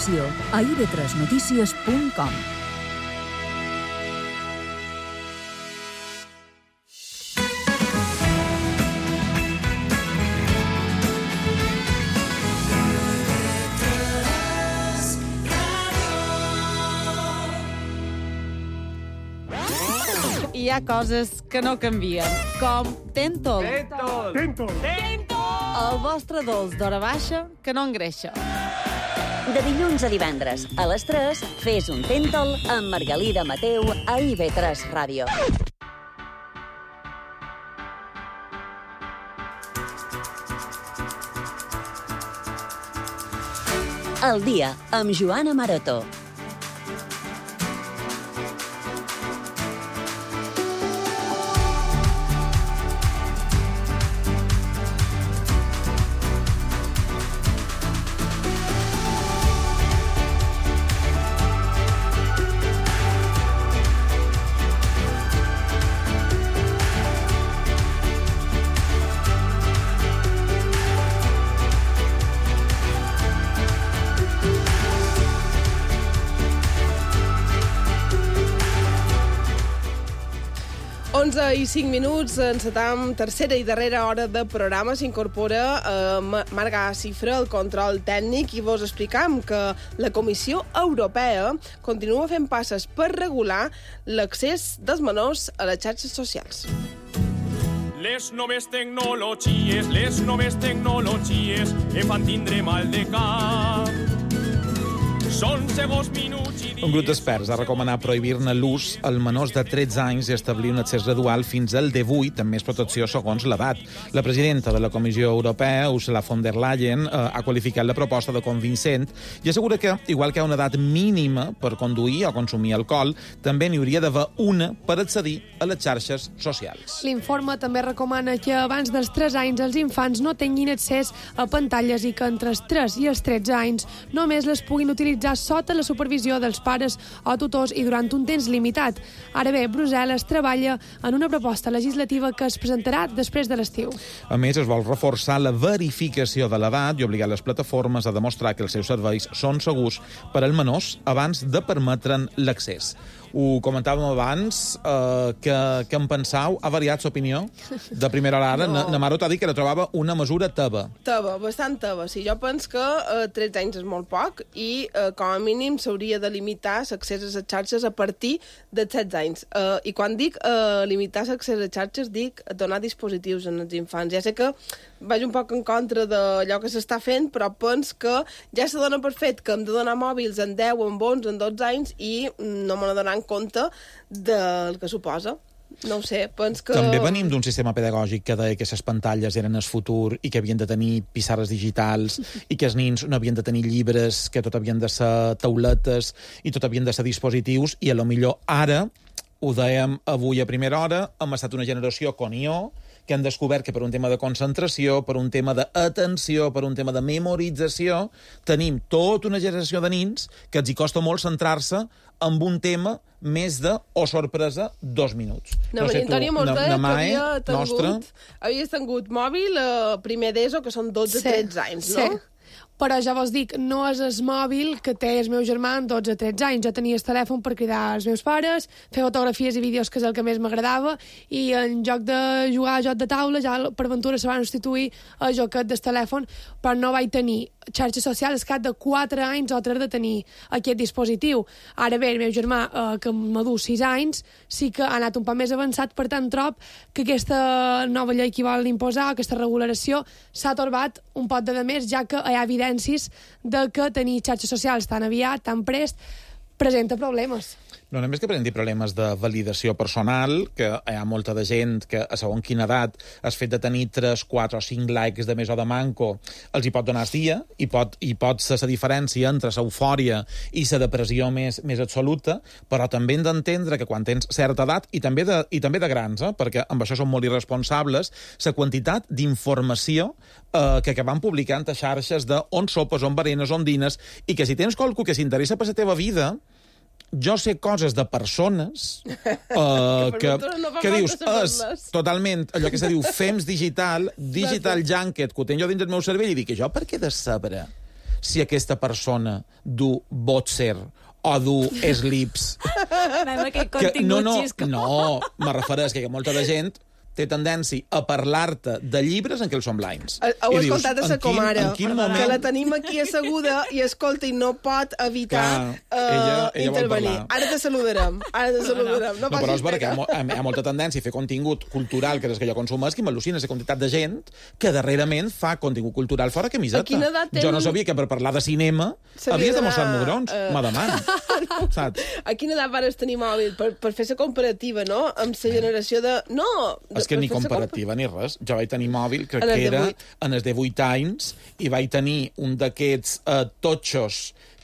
informació a ib3noticias.com. Hi ha coses que no canvien, com Tentol. Tentol! El vostre dolç d'hora baixa que no engreixa. De dilluns a divendres, a les 3, fes un Tentol amb Margalida Mateu a IB3 Ràdio. El dia, amb Joana Maroto. I 5 minuts, encetam tercera i darrera hora de programa. S'incorpora Marga Cifra, el control tècnic, i vos explicam que la Comissió Europea continua fent passes per regular l'accés dels menors a les xarxes socials. Les noves tecnologies em fan tindre mal de cap. Són segons minuts i dies... Un grup d'experts ha recomanat prohibir-ne l'ús als menors de 13 anys i establir un accés gradual fins al 18, amb més protecció segons l'edat. La presidenta de la Comissió Europea, Ursula von der Leyen, ha qualificat la proposta de convincent i assegura que, igual que hi ha una edat mínima per conduir o consumir alcohol, també n'hi hauria d'haver una per accedir a les xarxes socials. L'informe també recomana que abans dels 3 anys els infants no tinguin accés a pantalles i que entre els 3 i els 13 anys només les puguin utilitzar sota la supervisió dels pares o tutors i durant un temps limitat. Ara bé, Brussel·les treballa en una proposta legislativa que es presentarà després de l'estiu. A més, es vol reforçar la verificació de l'edat i obligar les plataformes a demostrar que els seus serveis són segurs per als menors abans de permetre'n l'accés. Ho comentàvem abans, que en pensau? Ha variat l'opinió de primera hora? No. Namaro t'ha dit que la trobava una mesura teva. Teva, bastant teva. Sí, jo penso que 13 anys és molt poc i com a mínim s'hauria de limitar l'accés a les xarxes a partir de 16 anys. I quan dic limitar l'accés a xarxes, dic donar dispositius als infants. Ja sé que vaig un poc en contra d'allò que s'està fent, però penso que ja se dona per fet que hem de donar mòbils en 10, en 11, en 12 anys i no me n'adonar compte del que suposa. No ho sé, penso que... També venim d'un sistema pedagògic que deia que les pantalles eren el futur i que havien de tenir pissarres digitals i que els nins no havien de tenir llibres, que tot havien de ser tauletes i tot havien de ser dispositius, i a lo millor ara, ho dèiem avui a primera hora, hem estat una generació con IO, que han descobert que per un tema de concentració, per un tema d'atenció, per un tema de memorització, tenim tota una generació de nins que els hi costa molt centrar-se amb un tema més de, oh sorpresa, 2 minuts. No sé, Antònia mos deia que havies tingut mòbil primer d'ESO, que són 12-13 anys, no? Sí. Però ja vos dic, no és el mòbil que té el meu germà amb 12-13 anys. Jo tenia el telèfon per cridar als meus pares, fer fotografies i vídeos, que és el que més m'agradava, i en lloc de jugar a joc de taula, ja per ventura se van substituir a joquet del telèfon, però no vaig tenir xarxes socials cap de 4 anys o 3 de tenir aquest dispositiu. Ara bé, el meu germà, que m'adú 6 anys, sí que ha anat un poc més avançat, per tant trob que aquesta nova llei que vol imposar, aquesta regulació, s'ha torbat un pot de més, ja que hi ha evidències de que tenir xarxes socials tan aviat, tan prest, presenta problemes. No només que presenti problemes de validació personal, que hi ha molta de gent que a segons quina edat el fet de tenir 3, 4 o 5 likes de més o de manco els hi pot donar el dia i pot ser la diferència entre l'eufòria i la depressió més absoluta, però també hem d'entendre que quan tens certa edat, i també de grans, perquè amb això som molt irresponsables, la quantitat d'informació que van publicant a xarxes d'on sopes, on berenes, on dines, i que si tens qualcú que s'interessa per la teva vida, jo sé coses de persones que dius, és totalment allò que se diu FEMS digital junket, que ho tenc jo dins del meu cervell, i dic, jo per què de saber si aquesta persona du boxer o du slips. Anem, aquest contingut xisco. No, me refereix que molta de gent té tendència a parlar-te de llibres en què els són blinds. Ho he escoltat a sa comare, moment... que la tenim aquí asseguda i escolta, i no pot evitar ella intervenir. Ara te saludarem. No, però és perquè hi ha molta tendència a fer contingut cultural, que és que jo consumeix, que m'al·lucina la quantitat de gent que darrerament fa contingut cultural fora camiseta. A quina edat Jo no sabia que per parlar de cinema havies de mostrar mugrons. M'ademano. Saps? A quina edat vares tenir mòbil? Per fer la comparativa, no? Amb la generació de... No! És que ni comparativa ni res. Jo vaig tenir mòbil, crec que era en els de 8 anys, i vaig tenir un d'aquests totxos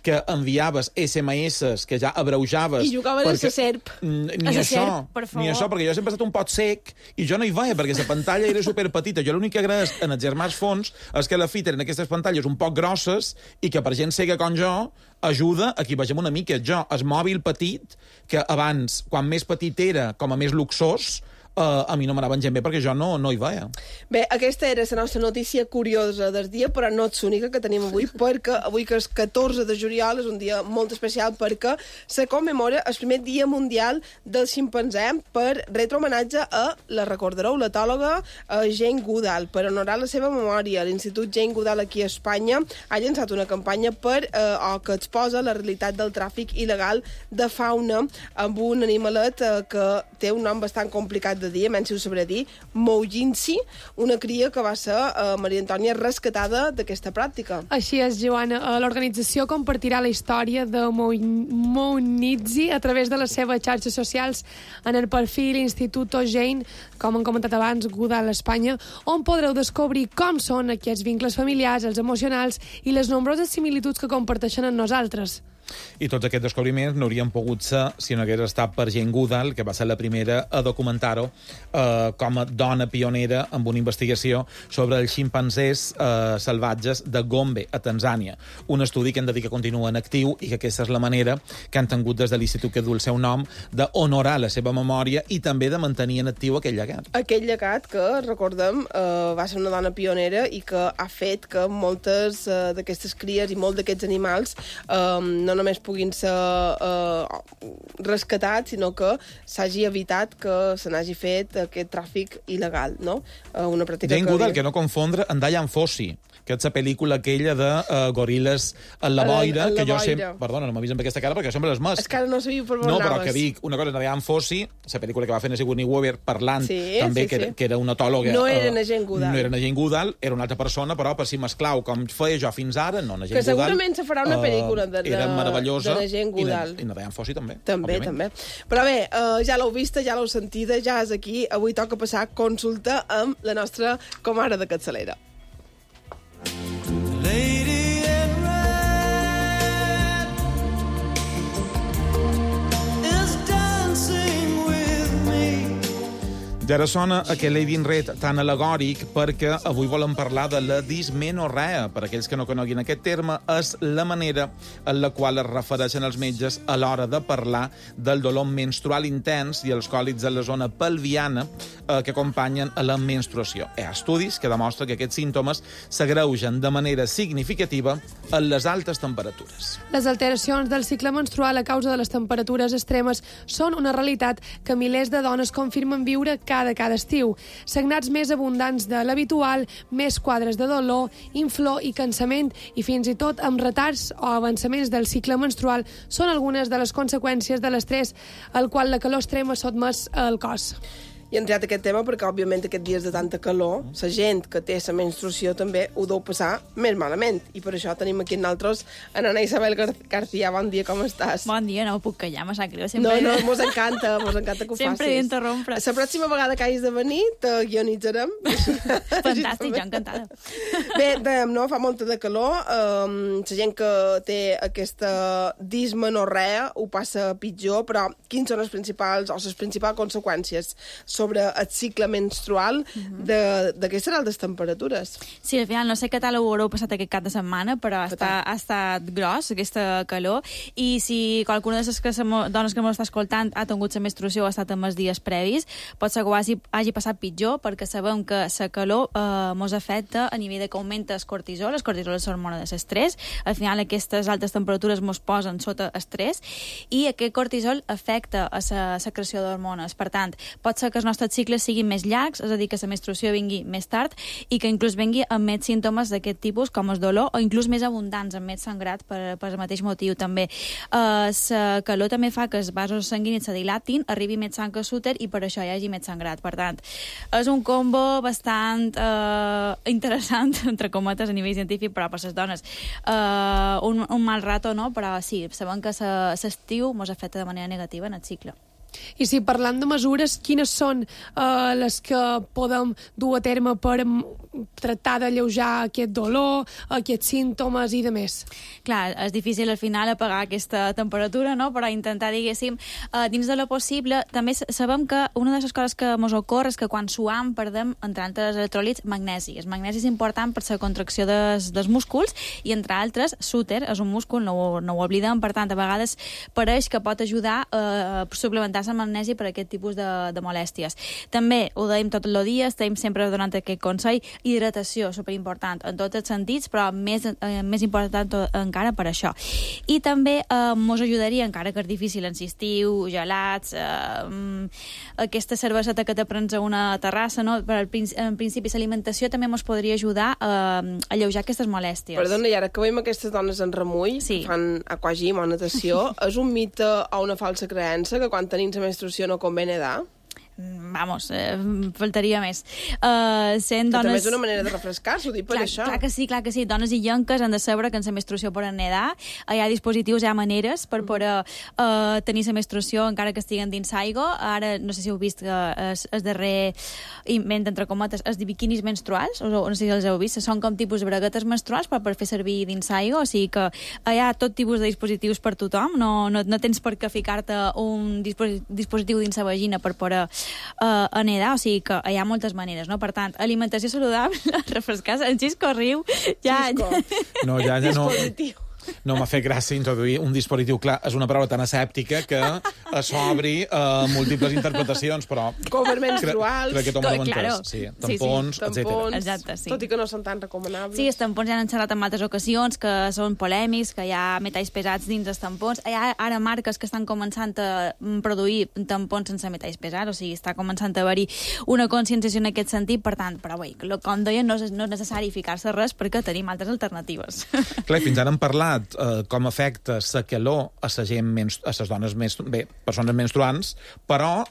que enviaves SMS que ja abreujaves... I jugaves a la serp. Ni això, perquè jo sempre he estat un pot sec i jo no hi veia, perquè la pantalla era superpetita. Jo l'únic que agraeix en els germans fons és que la fi tenen aquestes pantalles un poc grosses i que per gent cega com jo ajuda a qui vegem una mica. Jo, el mòbil petit, que abans, quan més petit era, com a més luxós, a mi no m'anaven gent bé perquè jo no hi veia. Bé, aquesta era la nostra notícia curiosa del dia, però no és l'única que tenim avui, perquè avui, que és 14 de juliol, és un dia molt especial perquè se commemora el primer dia mundial del ximpanzé per retre homenatge a, la recordareu, l'etòloga Jane Goodall. Per honorar la seva memòria, l'Institut Jane Goodall aquí a Espanya ha llançat una campanya que exposa la realitat del tràfic il·legal de fauna amb un animalet que té un nom bastant complicat de dir, menys si ho sabré dir, Moujinsi, una cria que va ser Maria Antònia rescatada d'aquesta pràctica. Així és, Joana. L'organització compartirà la història de Moujinsi a través de les seves xarxes socials en el perfil Instituto Jane, com hem comentat abans, Goodall Espanya, on podreu descobrir com són aquests vincles familiars, els emocionals i les nombroses similituds que comparteixen amb nosaltres. I tots aquests descobriments no haurien pogut ser si no hagués estat per Jane Goodall, que va ser la primera a documentar-ho com a dona pionera amb una investigació sobre els ximpanzés salvatges de Gombe, a Tanzània. Un estudi que hem de dir que continua en actiu i que aquesta és la manera que han tingut des de l'institut que du el seu nom d'honorar la seva memòria i també de mantenir en actiu aquell llegat. Aquell llegat que, recordem, va ser una dona pionera i que ha fet que moltes d'aquestes cries i molts d'aquests animals no només puguin ser rescatats, sinó que s'hagi evitat que se n'hagi fet aquest tràfic il·legal, no? Una pràctica Jane Goodall, que no confondre amb Dian Fossey, que és la pel·lícula aquella de goril·les en la boira, que jo sempre... Perdona, no m'avisen amb aquesta cara perquè sempre és més. És que ara no sabia per on anaves. No, però que dic, una cosa és Dian Fossey, la pel·lícula que va fer Sigourney Weaver parlant també, que era una etòloga... No era na Jane Goodall. No era na Jane Goodall, era una altra persona, però per si m'esclau, com feia jo fins ara, no, na Jane Goodall... Que segurament se farà una pel·lícula era meravellosa, de Jane Goodall. I na Dian Fossey també. També. Però bé, ja l'heu vista, ja l'heu sentida, ja és aquí. Avui toca passar consulta amb la nostra comare de capçalera. Lady in red is dancing with me. I ara sona aquest Lady in Red tan alegòric perquè avui volem parlar de la dismenorrea. Per aquells que no coneguin aquest terme, és la manera en la qual es refereixen els metges a l'hora de parlar del dolor menstrual intens i els còlics de la zona pelviana que acompanyen a la menstruació. Hi ha estudis que demostren que aquests símptomes s'agreugen de manera significativa en les altes temperatures. Les alteracions del cicle menstrual a causa de les temperatures extremes són una realitat que milers de dones confirmen viure cada estiu. Sagnats més abundants de l'habitual, més quadres de dolor, inflor i cansament i fins i tot amb retards o avançaments del cicle menstrual són algunes de les conseqüències de l'estrès al qual la calor extrema sotmès al cos. I hem triat aquest tema perquè, òbviament, aquests dies de tanta calor, la gent que té la menstruació també ho deu passar més malament. I per això tenim aquí nosaltres a Ana Isabel García. Bon dia, com estàs? Bon dia, no puc callar, me sap greu. Sempre... No, mos encanta que ho facis. Sempre he d'interrompre. La pròxima vegada que hagis de venir, te guionitzarem. Fantàstic, jo encantada. Bé, no, fa molta de calor. La gent que té aquesta dismenorrea ho passa pitjor, però quins són els principals o les principals conseqüències? sobre el cicle menstrual d'aquestes altes temperatures. Sí, al final no sé què tal ho haureu passat aquest cap de setmana, però ha estat gros, aquesta calor, i si qualcuna de les dones que m'està escoltant ha tingut la menstruació o ha estat en els dies previs, pot ser que ho hagi passat pitjor, perquè sabem que la calor mos afecta a nivell de que augmenta el cortisol és l'hormona de l'estrès, al final aquestes altes temperatures mos posen sota estrès, i aquest cortisol afecta a la secreció d'hormones. Per tant, pot ser que els nostres cicles siguin més llargs, és a dir, que la menstruació vingui més tard i que inclús vingui amb més símptomes d'aquest tipus, com el dolor, o inclús més abundants, amb més sangrat, per el mateix motiu també. La calor també fa que els vasos sanguinis se dilatin, arribi més sang a l'úter i per això hi hagi més sangrat. Per tant, és un combo bastant interessant, entre cometes, a nivell científic, però per les dones un mal rato, no? Però sí, sabem que l'estiu ens afecta de manera negativa en el cicle. I si parlant de mesures, quines són les que podem dur a terme per tractar d'alleujar aquest dolor, aquests símptomes i de més? Clar, és difícil al final apagar aquesta temperatura, no? Però intentar, diguéssim, dins de lo possible. També sabem que una de les coses que ens ocorre és que quan suam perdem, entre altres electròlits, magnesi. El magnesi és important per la contracció dels músculs i, entre altres, l'úter és un múscul, no ho oblidem, per tant, a vegades pareix que pot ajudar a suplementar la magnesi per aquest tipus de molèsties. També ho dèiem tot el dia, estem sempre donant aquest consell, hidratació, superimportant en tots els sentits, però més important encara per això. I també mos ajudaria, encara que és difícil, en estiu, gelats, aquesta cerveseta que te prens a una terrassa, no? Però en principi l'alimentació també mos podria ajudar a alleujar aquestes molèsties. Perdona, i ara que veiem aquestes dones en remull, que fan aquagym o natació, és un mite o una falsa creença que quan tenim la menstruació no convé nedar? Vamos, faltaria més. Sent dones... També és una manera de refrescar-se, ho dic per això. Clar que sí. Dones i llenques han de saber que en la menstruació poden nedar. Hi ha dispositius, hi ha maneres per poder tenir la menstruació encara que estiguen dins aigua. Ara, no sé si heu vist que el darrer invent, entre cometes, és de biquinis menstruals, o no sé si els heu vist, són com tipus de braguetes menstruals per fer servir dins aigua, o sigui que hi ha tot tipus de dispositius per tothom, no tens per què ficar-te un dispositiu dins la vagina per poder a nedar, o sigui que hi ha moltes maneres, no? Per tant, alimentació saludable, refrescar-se, en Xisco riu, ja... No, ja no... No m'ha fet gràcia introduir un dispositiu. Clar, és una paraula tan asèptica que s'obri múltiples interpretacions, però... Cover menstruals... Crec que tothom ho entès. Sí, tampons, etc. Exacte, sí. Tot i que no són tan recomanables. Sí, els tampons ja han xerrat en altres ocasions, que són polèmics, que hi ha metalls pesats dins els tampons. Hi ha ara marques que estan començant a produir tampons sense metalls pesats, o sigui, està començant a haver-hi una conscienciació en aquest sentit, per tant, però bé, com deien, no és necessari ficar-se res perquè tenim altres alternatives. Clar, fins ara hem parlat com afecta la calor a la gent, a les dones, persones menstruants, però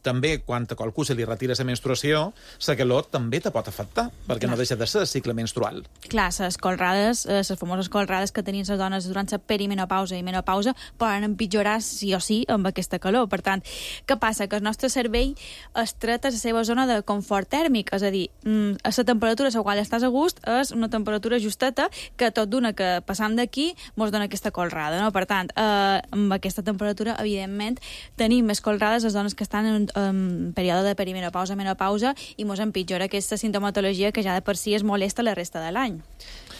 també quan a qualcú se li retira la menstruació, la calor també te pot afectar, perquè no deixa de ser el cicle menstrual. Clar, les colrades, les famoses colrades que tenien les dones durant la perimenopausa i menopausa poden empitjorar sí o sí amb aquesta calor. Per tant, què passa? Que el nostre cervell estreta la seva zona de confort tèrmic, és a dir, a la temperatura a la qual estàs a gust és una temperatura justeta que tot d'una que passant d'aquí mos dona aquesta colrada, no? Per tant, amb aquesta temperatura, evidentment, tenim més colrades les dones que estan en període de perimenopausa, menopausa, i mos empitjora aquesta sintomatologia que ja de per si és molesta la resta de l'any.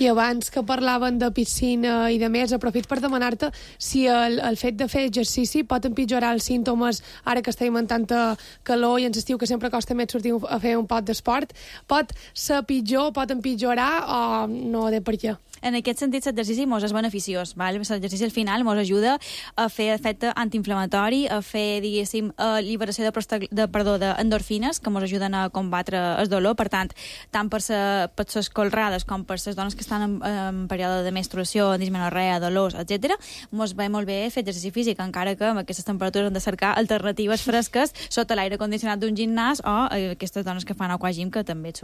I abans que parlaven de piscina i de més, aprofit per demanar-te si el fet de fer exercici pot empitjorar els símptomes ara que estem en tanta calor i ens estiu que sempre costa més sortir a fer un pot d'esport. Pot ser pitjor, pot empitjorar o no de per què? En aquest sentit, l'exercici mos és beneficiós. L'exercici al final mos ajuda a fer efecte antiinflamatori, a fer, diguéssim, liberació d'endorfines que mos ajuden a combatre el dolor. Per tant, tant per les colrades com per les dones que estan en període de menstruació, dismenorrea, dolors, etc., mos va molt bé fer exercici físic, encara que amb aquestes temperatures hem de cercar alternatives fresques sota l'aire condicionat d'un gimnàs o aquestes dones que fan aquagym, que també és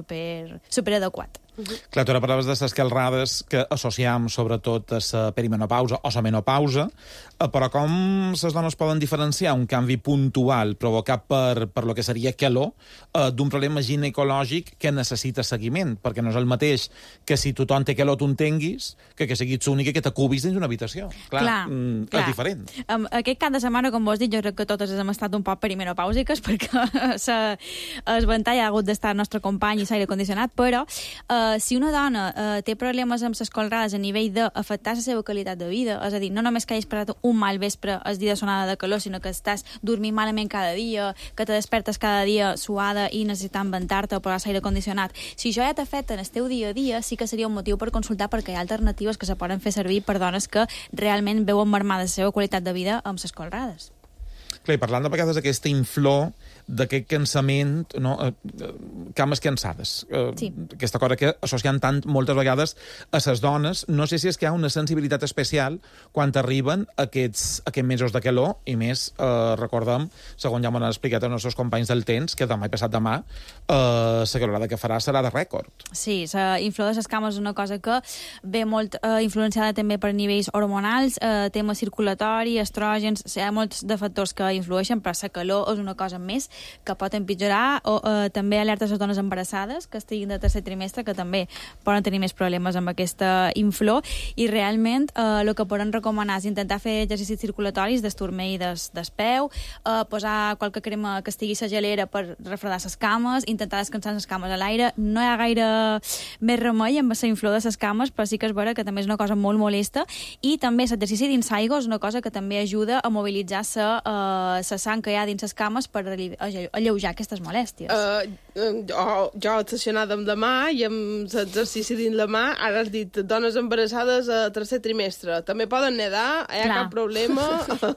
super adequat. Clar, tu ara parlaves de les calrades que associam sobretot a la perimenopausa o la menopausa, però com les dones poden diferenciar un canvi puntual provocat per lo que seria calor d'un problema ginecològic que necessita seguiment? Perquè no és el mateix que si tothom té calor tu en tinguis que siguis l'única que t'acubis dins d'una habitació. Clar. És diferent. Aquest cap de setmana, com vos dic, jo crec que totes hem estat un poc perimenopàusiques perquè el ventall ha hagut d'estar el nostre company i l'aire condicionat, però si una dona té problemes amb les colrades a nivell d'afectar la seva qualitat de vida, és a dir, no només que hagis passat un mal vespre el dia de sonada de calor, sinó que estàs dormint malament cada dia, que te despertes cada dia suada i necessitant ventar-te o posar l'aire condicionat. Si això ja t'afecta en el teu dia a dia, sí que seria un motiu per consultar, perquè hi ha alternatives que se poden fer servir per dones que realment veuen marmada la seva qualitat de vida amb les colrades. Clar, i parlant de vegades d'aquesta inflor, d'aquest cansament, no? Cames cansades. Sí. Aquesta cosa que associen tant moltes vegades a les dones. No sé si és que hi ha una sensibilitat especial quan arriben aquests mesos de calor, i més, recordem, segons ja m'han explicat els nostres companys del temps, que demà i passat demà la calorada que farà serà de rècord. Sí, la inflor de les cames és una cosa que ve molt influenciada també per nivells hormonals, tema circulatori, estrògens, hi ha molts de factors que influeixen, però la calor és una cosa més que pot empitjorar, o també alerta a les dones embarassades que estiguin de tercer trimestre, que també poden tenir més problemes amb aquesta inflor, i realment el que poden recomanar és intentar fer exercicis circulatoris d'esturmell del peu, posar qualque crema que estigui a la gelera per refredar les cames, intentar descansar les cames a l'aire. No hi ha gaire més remei amb la inflor de les cames, però sí que és vera que també és una cosa molt molesta, i també l'exercici dins l'aigua és una cosa que també ajuda a mobilitzar la sang que hi ha dins les cames per alleujar aquestes molèsties. Jo obsessionada amb demà i amb l'exercici dins la mà, ara has dit dones embarassades a tercer trimestre. També poden nedar, hi ha cap problema.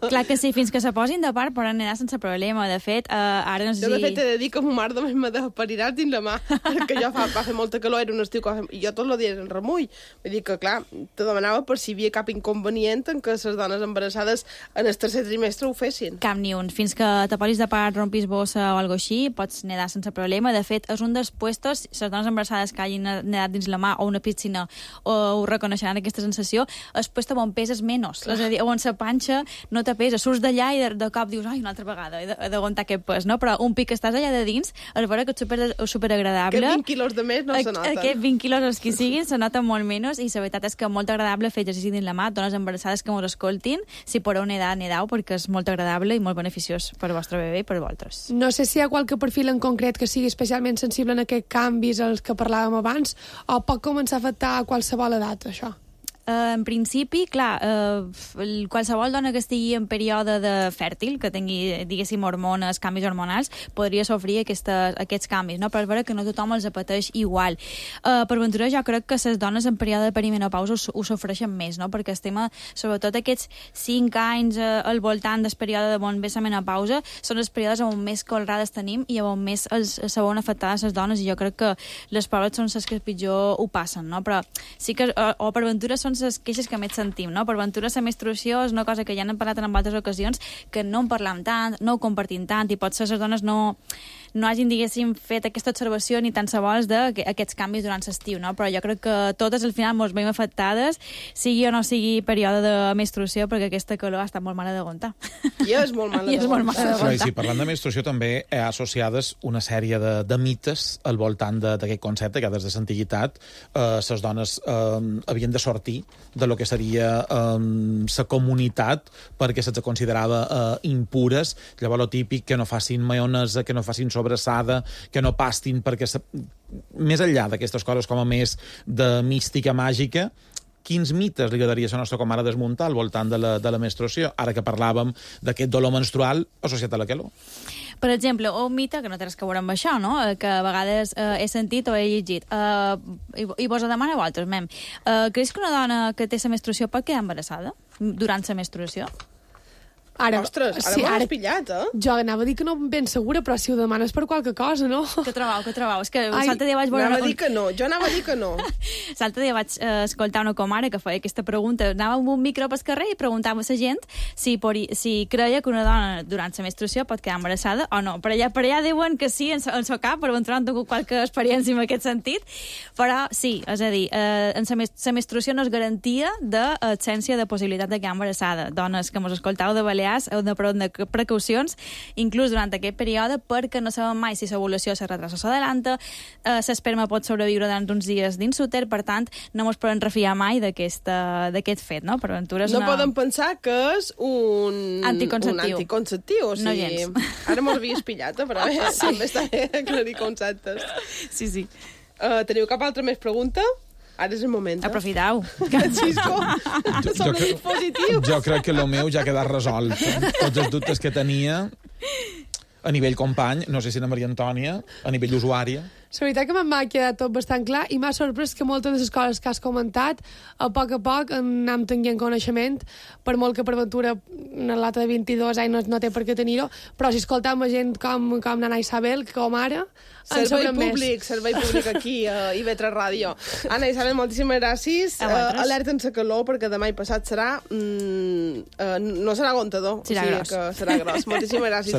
Clar que sí, fins que se posin de part poden nedar sense problema. De fet, ara no sé si... Jo, de fet, he de dir que ma mare només m'ha de parirà dins la mà, perquè jo va fer molta calor, era un estiu i jo tot el dia en remull. Vull dir que, clar, te demanava per si hi havia cap inconvenient en que les dones embarassades en el tercer trimestre ho fessin. Cap ni un. Fins que te posis de part, rompis bossa o alguna així, pots nedar sense problema. De fet, és un dels puestos, les dones embarassades que hagin nedat dins la mà o una piscina ho reconeixeran aquesta sensació, el puesto on peses menys. És a dir, on la panxa no te pesa. Surts d'allà i de cop dius, ai, una altra vegada, he d'aguantar aquest pes, no? Però un pic que estàs allà de dins, és vera que és superagradable. Aquests 20 quilos de més no se noten. Aquests 20 quilos, els que siguin, se noten molt menys, i la veritat és que molt agradable fer exercici dins la mà. Dones embarassades que mos escoltin, si podeu nedar, nedau, perquè és molt agradable i molt beneficiós per al vostre bebè i per vosaltres. No sé si hi ha qualque perfil en concret que sigui especialment sensible en aquests canvis als que parlàvem abans, o pot començar a afectar a qualsevol edat, això? En principi, clar, qualsevol dona que estigui en període de fèrtil, que tingui, diguéssim, hormones, canvis hormonals, podria sofrir aquests canvis, no? Però és vera que no tothom els pateix igual. Per ventura, jo crec que les dones en període de perimenopausa ho sofreixen més, no? Perquè el tema, sobretot aquests 5 anys al voltant del període de bon ve la menopausa, són els períodes on més colrades tenim i on més se veuen afectades les dones, i jo crec que les pobres són les que pitjor ho passen, no? Però sí que, o per ventura, són les queixes que més sentim, no? Per ventura, la menstruació és una cosa que ja n'hem parlat en altres ocasions, que no en parlam tant, no ho compartim tant, i potser les dones no hagin, diguéssim, fet aquesta observació ni tan sols d'aquests canvis durant l'estiu, no? Però jo crec que totes al final ens veiem afectades, sigui o no sigui període de menstruació, perquè aquesta calor ha estat molt mala d'aguantar. I és molt mala d'aguantar. Sí, parlant de menstruació també hi ha associades una sèrie de mites al voltant d'aquest concepte, que des de l'antiguitat les dones havien de sortir de lo que seria la comunitat perquè se'ls considerava impures. Llavors, lo típic, que no facin maionesa, que no facin sobrassada, que no pastin, perquè més enllà d'aquestes coses com a més de mística màgica, quins mites li agradaria a la nostra comare desmuntar al voltant de la menstruació, ara que parlàvem d'aquest dolor menstrual associat a la calor? Per exemple, un mite, que no té res que veure amb això, no? Que a vegades he sentit o he llegit, i vos ho demano a vosaltres, mem. Creus que una dona que té la menstruació pot quedar embarassada durant la menstruació? Ostres, ara m'has pillat, eh? Jo anava a dir que no ben segura, però si ho demanes per qualque cosa, no? Que trobau? És que l'altre dia vaig veure... Anava a dir que no, jo anava a dir que no. L'altre dia vaig escoltar una comare que feia aquesta pregunta. Anava amb un micro pel carrer i preguntava a la gent si creia que una dona durant la menstruació pot quedar embarassada o no. Per allà diuen que sí, en el cap, però en trobo tingut qualque experiència en aquest sentit. Però sí, és a dir, la menstruació no és garantia d'absència de possibilitat de quedar embarassada. Dones que mos escoltau de Balears heu de prendre precaucions, inclús durant aquest període, perquè no sabem mai si l'ovulació se retrasa o s'adelanta, l'esperma pot sobreviure durant uns dies dins l'úter, per tant, no ens podem refiar mai d'aquest fet, no? Per aventura és no podem pensar que és un anticonceptiu. O sigui, no gens. Ara m'ho havies pillat, però també està bé aclarir conceptes. Sí. Teniu cap altra més pregunta? Ara és el moment. Aprofitau. Xisco, som positiu. Jo crec que el meu ja ha quedat resolt. Tots els dubtes que tenia a nivell company, no sé si la Maria Antònia, a nivell usuària. La veritat que m'ha quedat tot bastant clar i m'ha sorprès que moltes de les coses que has comentat a poc anem tenint coneixement, per molt que per ventura una lata de 22 anys no té per què tenir-ho, però si escoltam a gent com Nana Isabel, com ara, servei públic aquí a IB3 Ràdio. Anna Isabel, moltíssimes gràcies. Alerta en la calor, perquè demà i passat serà... no serà aguantador, que serà gros. Moltíssimes gràcies.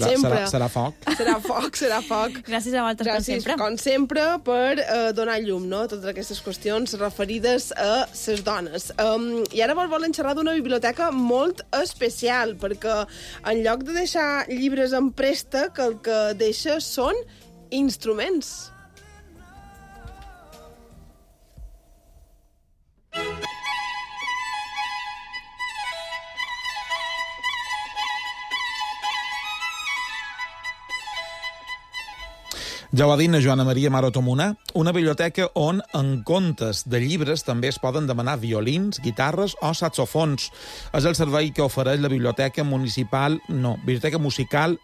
Serà foc. Serà foc. Gràcies a vosaltres, com sempre. Com sempre, per donar llum, no?, a totes aquestes qüestions referides a les dones. I ara volen xerrar d'una biblioteca molt especial, perquè en lloc de deixar llibres en préstec, el que deixa són instruments. Ja ho ha dit la Joana Maria Marotomuna, una biblioteca on, en comptes de llibres, també es poden demanar violins, guitarres o saxofons. És el servei que ofereix la Biblioteca Musical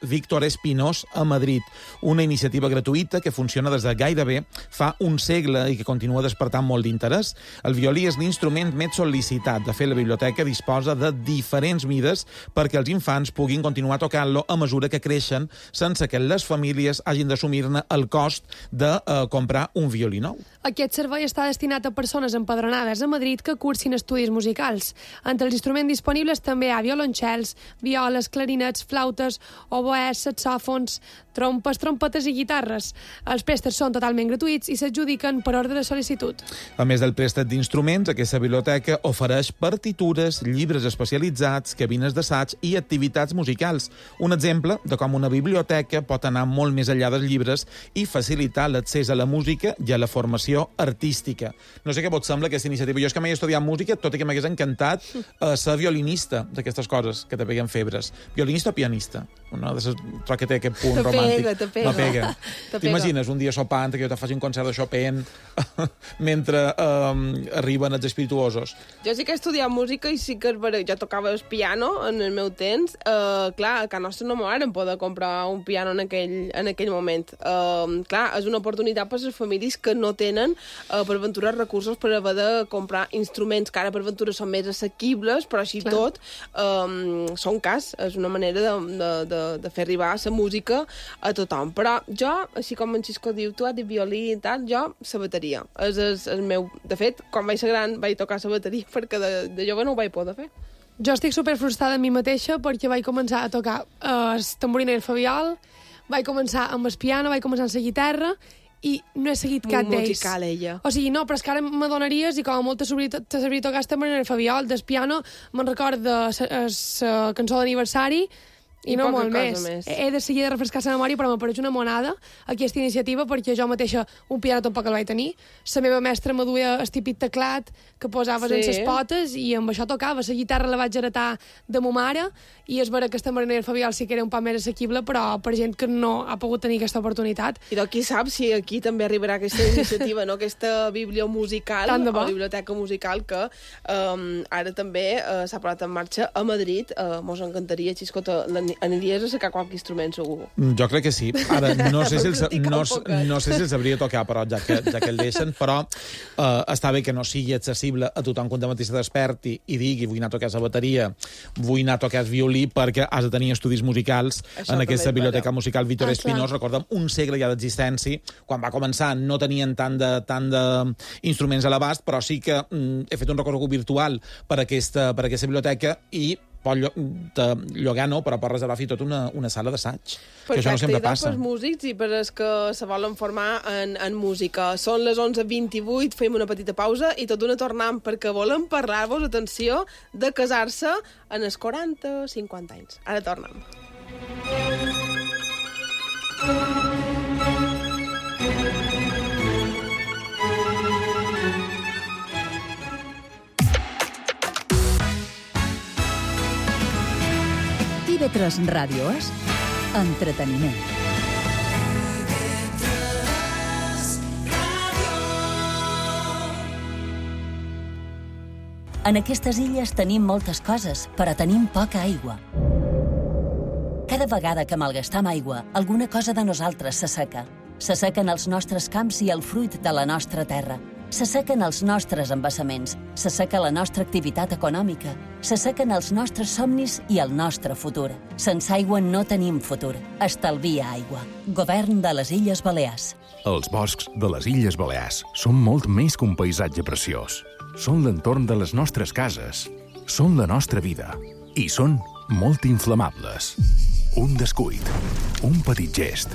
Víctor Espinós a Madrid, una iniciativa gratuïta que funciona des de gairebé fa un segle i que continua despertant molt d'interès. El violí és l'instrument més sol·licitat. De fet, la biblioteca disposa de diferents mides perquè els infants puguin continuar tocant-lo a mesura que creixen, sense que les famílies hagin d'assumir-ne el cost de comprar un violí nou. Aquest servei està destinat a persones empadronades a Madrid que cursin estudis musicals. Entre els instruments disponibles també hi ha violoncels, violes, clarinets, flautes, oboès, saxòfons, trompes, trompetes i guitarres. Els préstecs són totalment gratuïts i s'adjudiquen per ordre de sol·licitud. A més del préstec d'instruments, aquesta biblioteca ofereix partitures, llibres especialitzats, cabines d'assaig i activitats musicals. Un exemple de com una biblioteca pot anar molt més enllà dels llibres i facilitar l'accés a la música i a la formació artística. No sé què vos sembla aquesta iniciativa. Jo és que m'he estudiat música, tot i que m'hagués encantat ser violinista d'aquestes coses que te peguen febres. Violinista o pianista? Una de les que té aquest punt romàntic. Te pega. T'imagines un dia sopant que jo te faci un concert de Chopin mentre arriben els espirituosos? Jo sí que he estudiat música i sí que jo tocava el piano en el meu temps. Clar, a casa nostra no m'ho varen poder comprar un piano en aquell moment. Clar, és una oportunitat per a les famílies que no tenen per aventura recursos per haver de comprar instruments que ara per aventura són més assequibles, però així tot són cars. És una manera de fer arribar la música a tothom. Però jo, així com en Xisco diu, tu has dit violí i tal, jo la bateria. És el meu... De fet, quan vaig ser gran vaig tocar la bateria perquè de jove no ho vaig poder fer. Jo estic superfrustrada amb mi mateixa perquè vaig començar a tocar el tamboriner i el fabiol, vaig començar amb el piano, vaig començar amb la guitarra i no he seguit cap d'ells. Musical, ella. O sigui, no, però és que ara m'adonaries i com a molt te sabria tocar el tamboriner i el fabiol. Del piano me'n record de la cançó d'aniversari i no molt més. He de seguir de refrescar la memòria, però m'apareix una monada aquesta iniciativa perquè jo mateixa un piano tampoc el vaig tenir. La meva mestra me duia el típic teclat que posaves en les potes i amb això tocava. La guitarra la vaig heretar de ma mare i és vera que el tamboriner i el fabiol sí que era un poc més assequible, però per gent que no ha pogut tenir aquesta oportunitat. I qui sap si aquí també arribarà aquesta iniciativa, no? Aquesta bibliomusical o biblioteca musical que ara també s'ha posat en marxa a Madrid. Mos encantaria, Xisco, l'animaria aniries a sacar qualque instrument, segur. Jo crec que sí. Ara, no sé si els sabria tocar, però ja que el deixen, però està bé que no sigui accessible a tothom quan de matí se desperti i digui vull anar a tocar la bateria, vull anar a tocar el violí, perquè has de tenir estudis musicals en aquesta biblioteca musical Víctor Espinós. Recorda'm, un segle ja d'existència. Quan va començar no tenien tant d'instruments a l'abast, però sí que he fet un recorregut virtual per aquesta biblioteca i pot llogar no, però pot reservar fins i tot una sala d'assaig. Que això no sempre passa. Perfecte, i pels músics i per els que se volen formar en música. Són les 11:28, fem una petita pausa i tot una tornam perquè volem parlar-vos, atenció, de casar-se en els 40-50 anys. Ara tornem. TV3 Ràdio és entreteniment. En aquestes illes tenim moltes coses, però tenim poca aigua. Cada vegada que malgastam aigua, alguna cosa de nosaltres s'asseca. S'assequen els nostres camps i el fruit de la nostra terra. S'assequen els nostres embassaments, s'asseca la nostra activitat econòmica, s'assequen els nostres somnis i el nostre futur. Sense aigua no tenim futur. Estalvia aigua. Govern de les Illes Balears. Els boscs de les Illes Balears són molt més que un paisatge preciós. Són l'entorn de les nostres cases. Són la nostra vida. I són molt inflamables. Un descuit, un petit gest,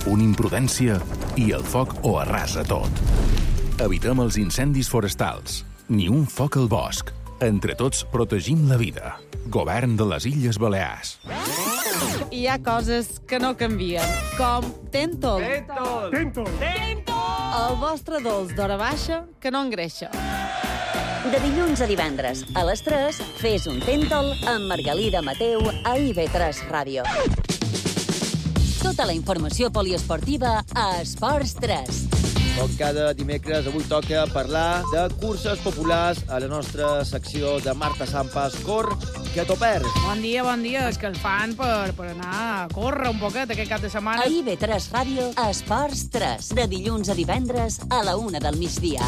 una imprudència i el foc ho arrasa tot. Evitem els incendis forestals. Ni un foc al bosc. Entre tots protegim la vida. Govern de les Illes Balears. Hi ha coses que no canvien, com Tentol. Tentol. El vostre dolç d'hora baixa que no engreixa. De dilluns a divendres, a les 3, fes un Tentol amb Margalida Mateu a IB3 Ràdio. Tota la informació poliesportiva a Esports 3. Com cada dimecres, avui toca parlar de curses populars a la nostra secció de Marta Sampas. Cor, que t'ho perds. Bon dia, és que el fan per anar a córrer un poquet aquest cap de setmana. A IB3 Ràdio, Esports 3, de dilluns a divendres a la 1 del migdia.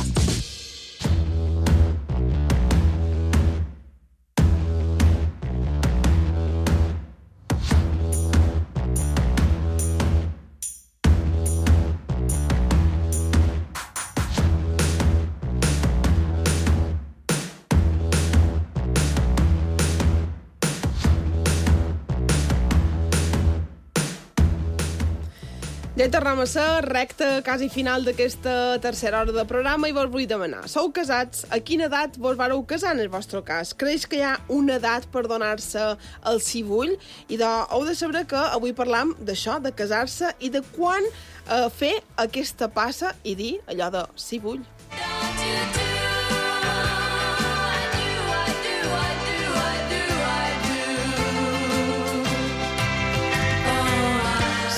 Ja tornem a ser recta quasi final d'aquesta tercera hora de programa i vos vull demanar. Sou casats? A quina edat vos vareu casar en el vostre cas? Creix que hi ha una edat per donar-se el sí vull? I heu de saber que avui parlam d'això, de casar-se i de quan fer aquesta passa i dir allò de sí vull.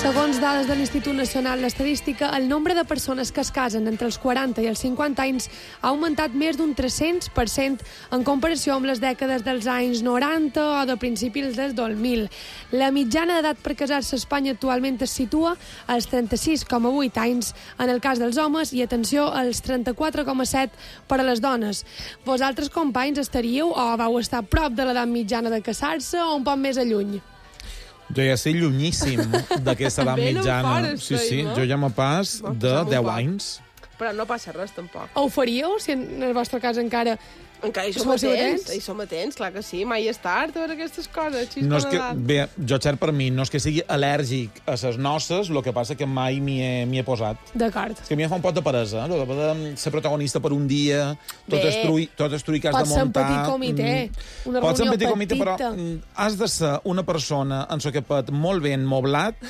Segons dades de l'Institut Nacional d'Estadística, el nombre de persones que es casen entre els 40 i els 50 anys ha augmentat més d'un 300% en comparació amb les dècades dels anys 90 o de principis del 2000. La mitjana d'edat per casar-se a Espanya actualment es situa als 36,8 anys en el cas dels homes i, atenció, als 34,7 per a les dones. Vosaltres, companys, estaríeu o vau estar a prop de l'edat mitjana de casar-se o un poc més a lluny? Jo ja sé llunyíssim d'aquesta edat mitjana. Sí, jo ja me pas de 10 anys. Però no passa res, tampoc. Ho faríeu, si en el vostre cas encara hi som atents, clar que sí, mai és tard, a veure aquestes coses. No és que, bé, jo, Xer, per mi, no és que sigui al·lèrgic a ses noces, el que passa que mai m'hi he posat. D'acord. És que a mi em fa un pot de peresa, no? De ser protagonista per un dia, tot estruir que has de muntar. Pot ser un petit comitè, una reunió petita. Però has de ser una persona en soquepet molt ben moblat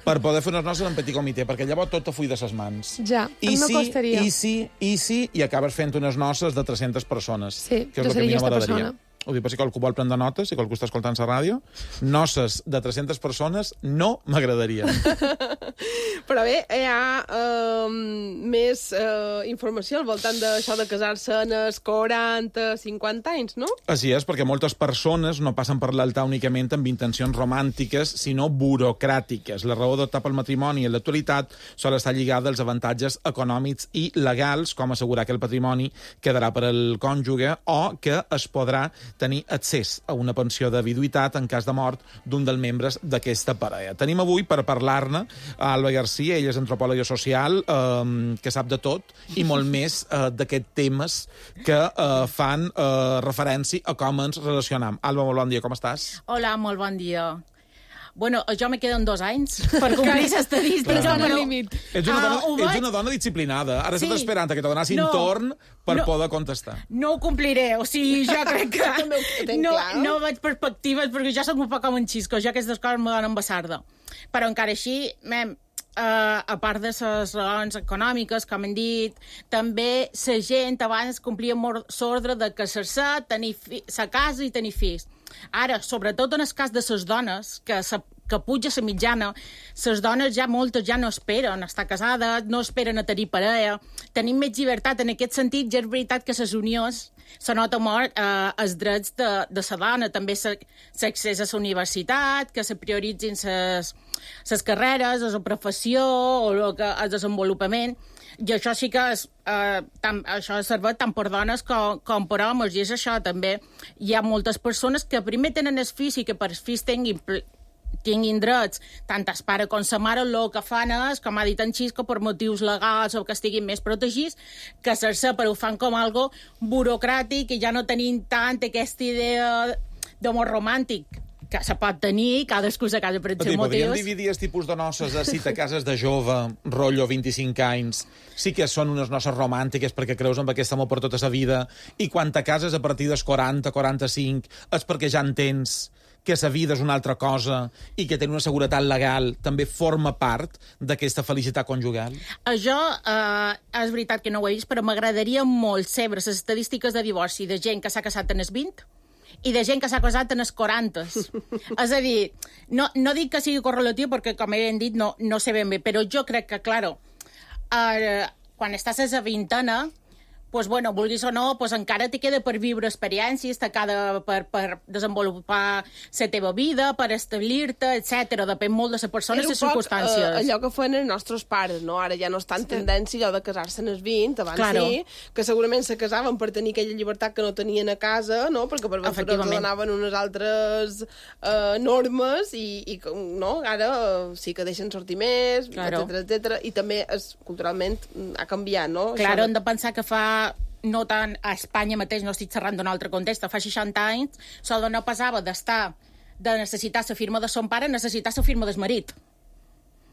per poder fer unes noces en petit comitè, perquè llavors tot te full de ses mans. Ja, no costaria. I acabes fent unes noces de 300 persones. Sí, que és el que a mi no m'agradaria. ho dic per si qualcú vol prendre notes, si qualcú està escoltant la ràdio, noces de 300 persones no m'agradarien. Però bé, hi ha més informació al voltant d'això de casar-se en els 40, 50 anys, no? Així és, perquè moltes persones no passen per l'altar únicament amb intencions romàntiques, sinó burocràtiques. La raó d'optar pel matrimoni en l'actualitat sol estar lligada als avantatges econòmics i legals, com assegurar que el patrimoni quedarà per al cònjuge o que es podrà tenir accés a una pensió de viduïtat en cas de mort d'un dels membres d'aquesta parella. Tenim avui per parlar-ne a Alba García, ella és antropòloga social, que sap de tot, i molt més d'aquests temes que fan referència a com ens relacionam. Alba, molt bon dia, com estàs? Hola, molt bon dia. Bueno, jo me queden 2 anys per complir l'estadística. Però... límit. Ets una dona disciplinada. Ara estàs esperant que te donessin torn per poder contestar. No ho compliré. O sigui, jo crec que no veig perspectives perquè jo soc un poc com un xisco. Jo aquestes coses me donen basarda. Però encara així, a part de les raons econòmiques, com hem dit, també la gent abans complia molt l'ordre de casar-se, tenir la casa i tenir fills. Ara, sobretot en el cas de les dones, que puja la mitjana, les dones moltes ja no esperen estar casades, no esperen a tenir parella, tenim més llibertat en aquest sentit, ja és veritat que les unions se nota molt els drets de la dona, també l'accés a la universitat, que se prioritzin les carreres, la professió o el desenvolupament. I això sí que això serveix tant per dones com per homes, i és això també. Hi ha moltes persones que primer tenen els fills i que per els fills tinguin drets, tant el pare com la mare, el que fan és, com ha dit en Xisco, per motius legals o que estiguin més protegits, casar-se, però ho fan com algo burocràtic i ja no tenim tant aquesta idea d'amor romàntic que se pot tenir, cadascú se casa per els seus motius. Podríem dividir els tipus de noces a si te cases de jove, rotllo 25 anys, sí que són unes noces romàntiques perquè creus en aquest amor per tota la vida, i quan te cases a partir dels 40, 45, és perquè ja entens que la vida és una altra cosa i que tenir una seguretat legal també forma part d'aquesta felicitat conjugal? Això és veritat que no ho he vist, però m'agradaria molt saber les estadístiques de divorci de gent que s'ha casat en els 20 i de gent que s'ha casat en els 40. És a dir, no dic que sigui correlatiu perquè, com hem dit, no sé ben bé, però jo crec que, clar, quan estàs a la vintena, pues, bueno, vulguis o no, pues, encara te queda per viure experiències, te queda per desenvolupar la teva vida, per establir-te, etc. Depèn molt de la persona i les circumstàncies. Allò que feien els nostres pares, no? Ara ja no està en tendència allò de casar-se en els 20, abans sí, que segurament se casaven per tenir aquella llibertat que no tenien a casa, no? Perquè per vençure els donaven unes altres normes i no? Ara sí que deixen sortir més, etc. I també culturalment ha canviat, no? Claro, hem de pensar que no tant a Espanya mateix, no estic xerrant d'un altre context, fa 60 anys, la dona passava de necessitar la firma de son pare a necessitar la firma del marit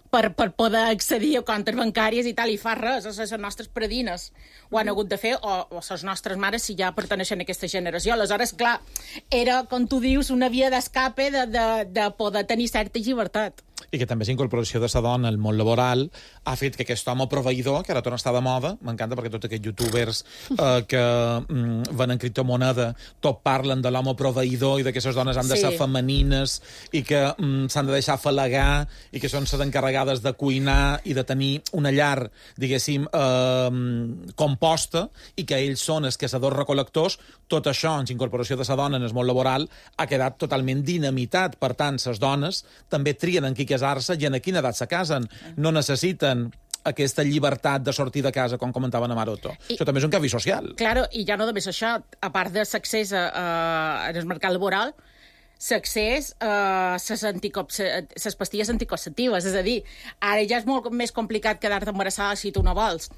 per poder accedir a comptes bancàries i tal, i fa res, les nostres predines ho han hagut de fer, o les nostres mares si ja perteneixen a aquesta generació. Aleshores, clar, era, com tu dius, una via d'escape de poder tenir certa llibertat. I que també la incorporació de la dona al món laboral ha fet que aquest home proveïdor, que ara torna a estar de moda, m'encanta perquè tots aquests youtubers que venen criptomoneda tot parlen de l'home proveïdor i de que les dones han de ser femenines i que s'han de deixar afalagar i que són les encarregades de cuinar i de tenir una llar, diguéssim, composta, i que ells són els caçadors recol·lectors. Tot això, en la incorporació de la dona en el món laboral, ha quedat totalment dinamitat. Per tant, les dones també trien en qui casar-se i en quina edat se casen. No necessiten aquesta llibertat de sortir de casa, com comentava na Maroto. Això també és un canvi social. Claro, i ja no només això, a part de l'accés al mercat laboral, l'accés a les pastilles anticonceptives. És a dir, ara ja és molt més complicat quedar-te embarassada si tu no vols.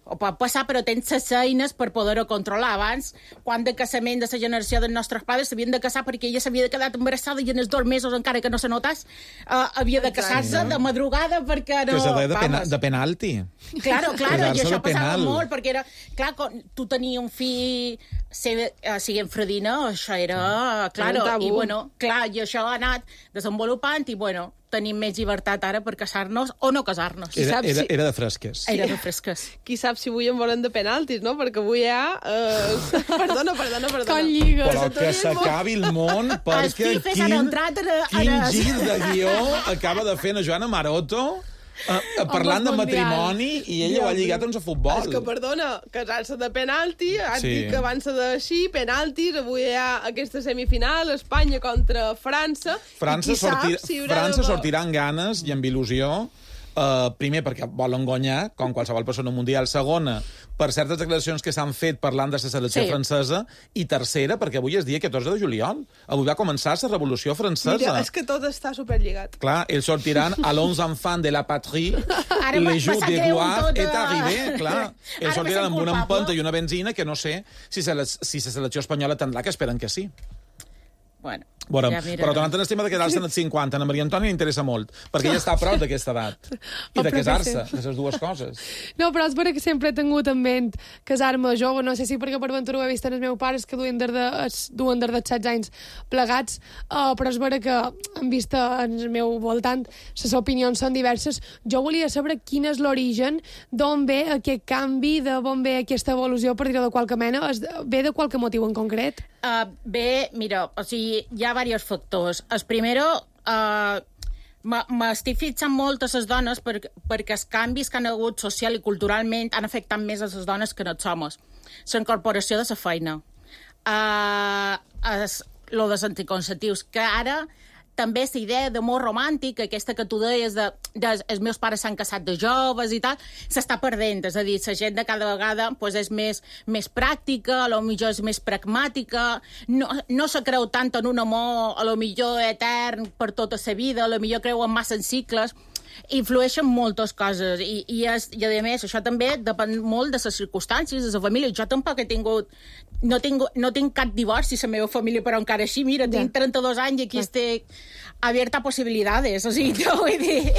O pot passar, però tens les eines per poder-ho controlar. Abans, quan de casament de la generació dels nostres pares s'havien de casar perquè ella s'havia quedat embarassada i en els 2 mesos, encara que no se notés, havia de casar-se de madrugada perquè no... Que se deia de penalti. Claro, i això passava molt, perquè era... Clar, tu tenies un fill siguent fredina, això era... Claro, i bueno, clar, i això ha anat desenvolupant i, bueno, tenim més llibertat ara per casar-nos o no casar-nos. Era de fresques. Era de fresques. Qui sap si avui en volen de penaltis, no? Perquè avui hi ha... Perdona. Com lligues. Però que s'acabi el món, perquè quin gir de guió acaba de fer la Joana Maroto parlant de matrimoni i ella ho ha lligat a futbol. És que, perdona, casar-se de penalti, has dit que abans d'així, penaltis, avui hi ha aquesta semifinal, Espanya contra França. França sortirà amb ganes i amb il·lusió. Primer, perquè volen guanyar, com qualsevol persona mundial. Segona, per certes declaracions que s'han fet parlant de la selecció francesa. I tercera, perquè avui és dia 14 de juliol. Avui va començar la Revolució Francesa. Mira, és que tot està superlligat. Clar, ells sortiran a l'11 enfants de la patrie, le jour de gloire est arrivé. Clar, ells sortiran amb una empenta i una benzina que no sé si la selecció espanyola tindrà, que esperen que sí. Bueno, ja però tornant al tema de quedar-se en els 50, a Maria Antònia li interessa molt, perquè ella està a prop d'aquesta edat. I de casar-se, de les dues coses. No, però és vera que sempre he tingut en ment casar-me jove, no sé si perquè per ventura ho he vist en els meus pares, que duen des de 16 anys plegats, però és vera que han vist en el meu voltant, les opinions són diverses. Jo volia saber quin és l'origen, d'on ve aquest canvi, d'on ve aquesta evolució, per dir-ho de qualque mena, ve de qualque motiu en concret? Bé, mira, o sigui, hi ha diversos factors. El primero, m'estic fixant molt a les dones perquè els canvis que han hagut social i culturalment han afectat més a les dones que no els homes. La incorporació de la feina. Lo dels anticonceptius, que ara també la idea d'amor romàntic, aquesta que tu deies els meus pares s'han casat de joves i tal, s'està perdent. És a dir, la gent de cada vegada és més pràctica, potser és més pragmàtica, no se creu tant en un amor, potser etern per tota la vida, potser creuen massa en cicles. Influeixen moltes coses i a més això també depèn molt de les circumstàncies de la família. Jo tampoc he tingut no tinc cap divorci a la meva família, però encara així, mira, tinc 32 anys i aquí estic abierta a possibilitats, o sigui, vull dir,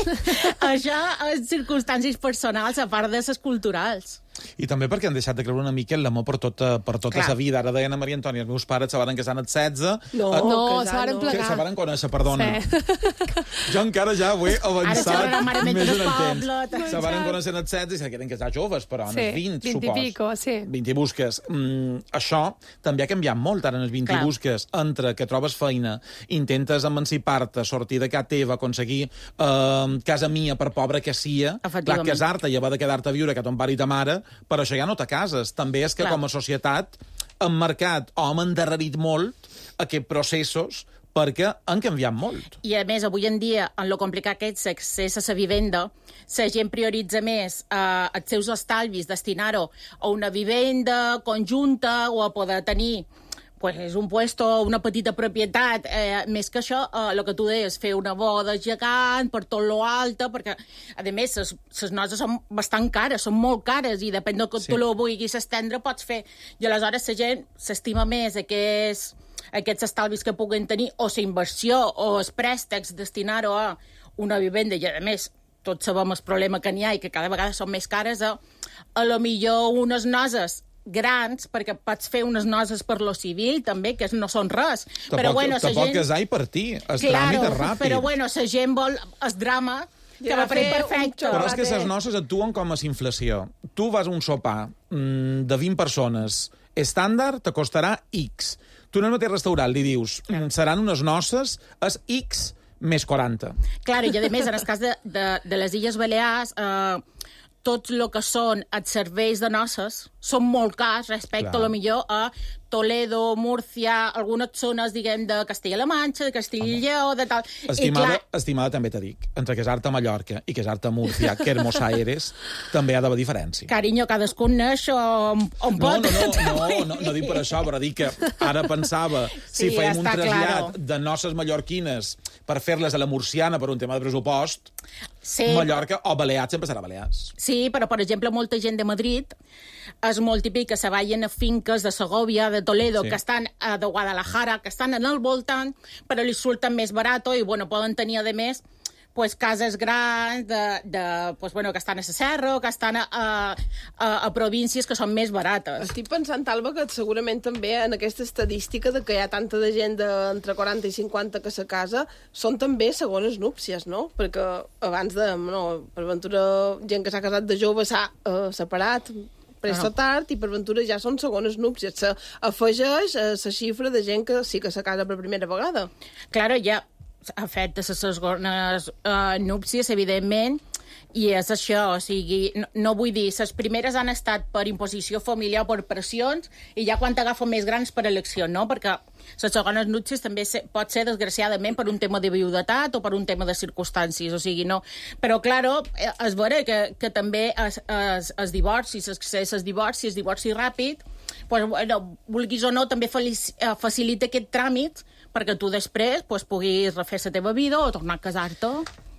això és circumstàncies personals a part de les culturals. I també perquè han deixat de creure una mica en l'amor per tota la vida. Ara deien a Maria Antònia, els meus pares se van casar als 16... No, se van plegar. Se van conèixer, perdona. Sí. Jo encara ja ho he avançat més en el temps. Se van conèixer als 16 i se queden casar joves, però en els 20, supos. 20 i pico, sí. 20 i busques. Això també ha canviat molt, ara en els 20 i busques, entre que trobes feina, intentes emancipar-te, sortir de casa teva, aconseguir casa mia, per pobra que sia, clar, casar-te i haver de quedar-te a viure que ton pare i ta mare, però això ja no te cases. També és que com a societat hem marcat o hem endarrerit molt aquests processos perquè han canviat molt. I a més, avui en dia, en lo complicat que és l'accés a la vivenda, la gent prioritza més els seus estalvis, destinar-ho a una vivenda conjunta o a poder tenir un puesto, una petita propietat, més que això, el que tu deies, fer una boda gegant per tot lo alta, perquè, a més, les noces són bastant cares, són molt cares, i depèn del que tu lo vulguis estendre, pots fer. I aleshores la gent s'estima més aquests estalvis que puguen tenir, o la inversió, o els préstecs, destinar-ho a una vivenda, i a més, tots sabem el problema que n'hi ha i que cada vegada són més cares, a lo millor unes noces grans, perquè pots fer unes noces per lo civil, també, que no són res. Tampoc casar i partir. El tràmit és ràpid. Però la gent vol el drama que va fer perfecte. Però és que les noces actuen com a inflació. Tu vas a un sopar de 20 persones, estàndard te costarà X. Tu en el mateix restaurant li dius, seran unes noces, és X més 40. Clar, i a més, en el cas de les Illes Balears, tots el que són els serveis de noces són molt cars respecte a lo millor a Toledo, Múrcia, algunes zones, diguem, de Castilla-La Manxa, de Castilla i Lleó, de tal... Estimada, també t'ho dic, entre casar-te a Mallorca i casar-te a Múrcia, que Hermos Aires, també hi ha d'haver diferència. Carinyo, cadascun neix on pot. No dic per això, però dic que ara pensava, si fèiem un trasllat de noces mallorquines per fer-les a la murciana per un tema de pressupost, Mallorca o Balears sempre serà Balears. Sí, però, per exemple, molta gent de Madrid és molt típic que se vagin a finques de Segovia, de Toledo, que estan de Guadalajara, que estan en el voltant, però li surten més barat i, poden tenir, a més, pues, cases grans pues, bueno, que estan a la serra o que estan a províncies que són més barates. Estic pensant, Alba, que segurament també en aquesta estadística de que hi ha tanta de gent d'entre 40 i 50 que se casa, són també segones núpcies, no? Perquè abans per ventura, gent que s'ha casat de jove s'ha separat pressa tard i per ventura ja són segones núpcies. S'afegeix la xifra de gent que sí que se casa per primera vegada. Claro, ja afecta les segones núpcies, evidentment, i és això, o sigui, no vull dir, les primeres han estat per imposició familiar o per pressions, i ja quan t'agafa més grans per elecció, no? Perquè les segones núpcies també pot ser, desgraciadament, per un tema de viudetat o per un tema de circumstàncies, o sigui, no. Però, claro, és vera que també es divorci, el divorci ràpid, pues, bueno, vulguis o no, també facilita aquest tràmit perquè tu després puguis refer la teva vida o tornar a casar-te.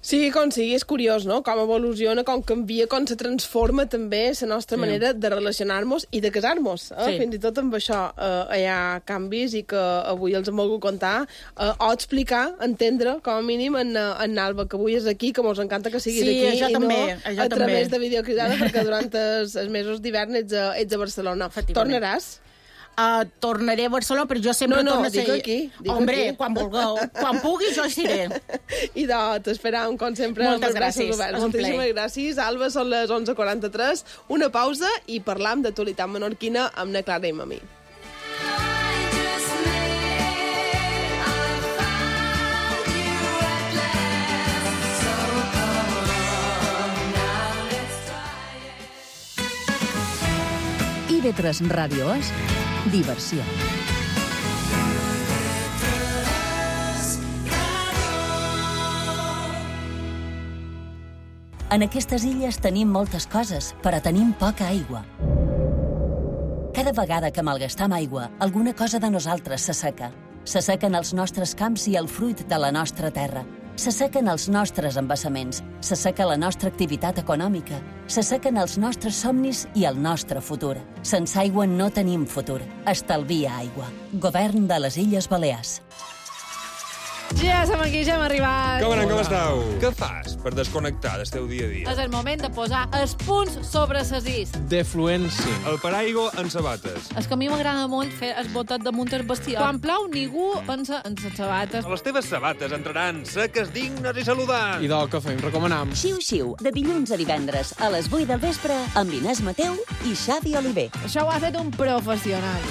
Sí, com sigui, és curiós, no?, com evoluciona, com canvia, com se transforma també la nostra manera de relacionar-nos i de casar-nos. Sí. Fins i tot amb això hi ha canvis i que avui els hem volgut contar o explicar, entendre, com a mínim, en Alba, que avui és aquí, que mos encanta que siguis aquí i també, no a través de videocridada, perquè durant els mesos d'hivern ets a Barcelona. Tornaràs? Tornaré a Barcelona, però jo sempre torno a ser... aquí. Hombre, quan vulgueu. Quan pugui, jo hi seré. I t'esperam, com sempre. Moltes gràcies. Moltíssimes gràcies. Alba, són les 11:43. Una pausa i parlam d'actualitat menorquina amb na Clara i Mami. IB3 Ràdio és diversió. En aquestes illes tenim moltes coses, però tenim poca aigua. Cada vegada que malgastam aigua, alguna cosa de nosaltres s'asseca. S'assequen els nostres camps i el fruit de la nostra terra. S'assequen els nostres embassaments, s'asseca la nostra activitat econòmica, s'assequen els nostres somnis i el nostre futur. Sense aigua no tenim futur. Estalvia aigua. Govern de les Illes Balears. Ja som aquí, ja hem arribat. Com esteu? Què fas per desconnectar del teu dia a dia? És el moment de posar els punts sobre ses is. Defluència. El paraigua en sabates. És que a mi m'agrada molt fer el botet damunt el vestidor. Quan plou, ningú pensa en les sabates. Les teves sabates entraran seques, dignes i saludants. I del que fem, recomanam. Xiu-xiu, de dilluns a divendres, a les 8 del vespre, amb Inés Mateu i Xavi Oliver. Això ho ha fet un professional.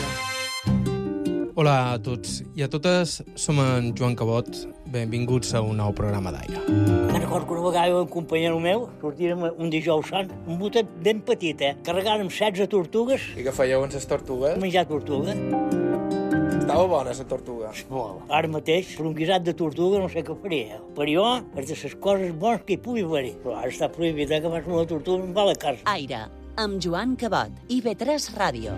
Hola a tots i a totes, som en Joan Cabot. Benvinguts a un nou programa d'Aire. Me'n recordo que una vegada un companyero meu sortirem un dijous sant, un botet ben petit, carregàrem 16 tortugues. I què fèieu amb les tortugues? Menjar tortuga. Estava bona, la tortuga. Molt. Ara mateix, per un guisat de tortuga no sé què faria. Per jo, és de les coses bones que hi pugui haver. Però ara està prohibit que fas una tortuga i em va a la casa. Aire, amb Joan Cabot, IB3 Ràdio.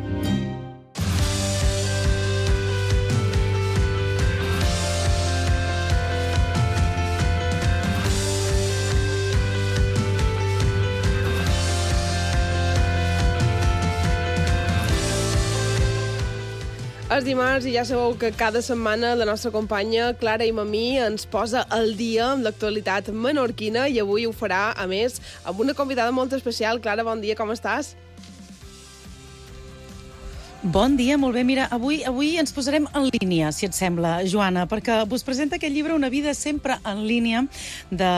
És dimarts i ja sabeu que cada setmana la nostra companya Clara i Mamí ens posa al dia amb l'actualitat menorquina i avui ho farà, a més, amb una convidada molt especial. Clara, bon dia, com estàs? Bon dia, molt bé. Mira, avui ens posarem en línia, si et sembla, Joana, perquè vos presenta aquest llibre Una vida sempre en línia, de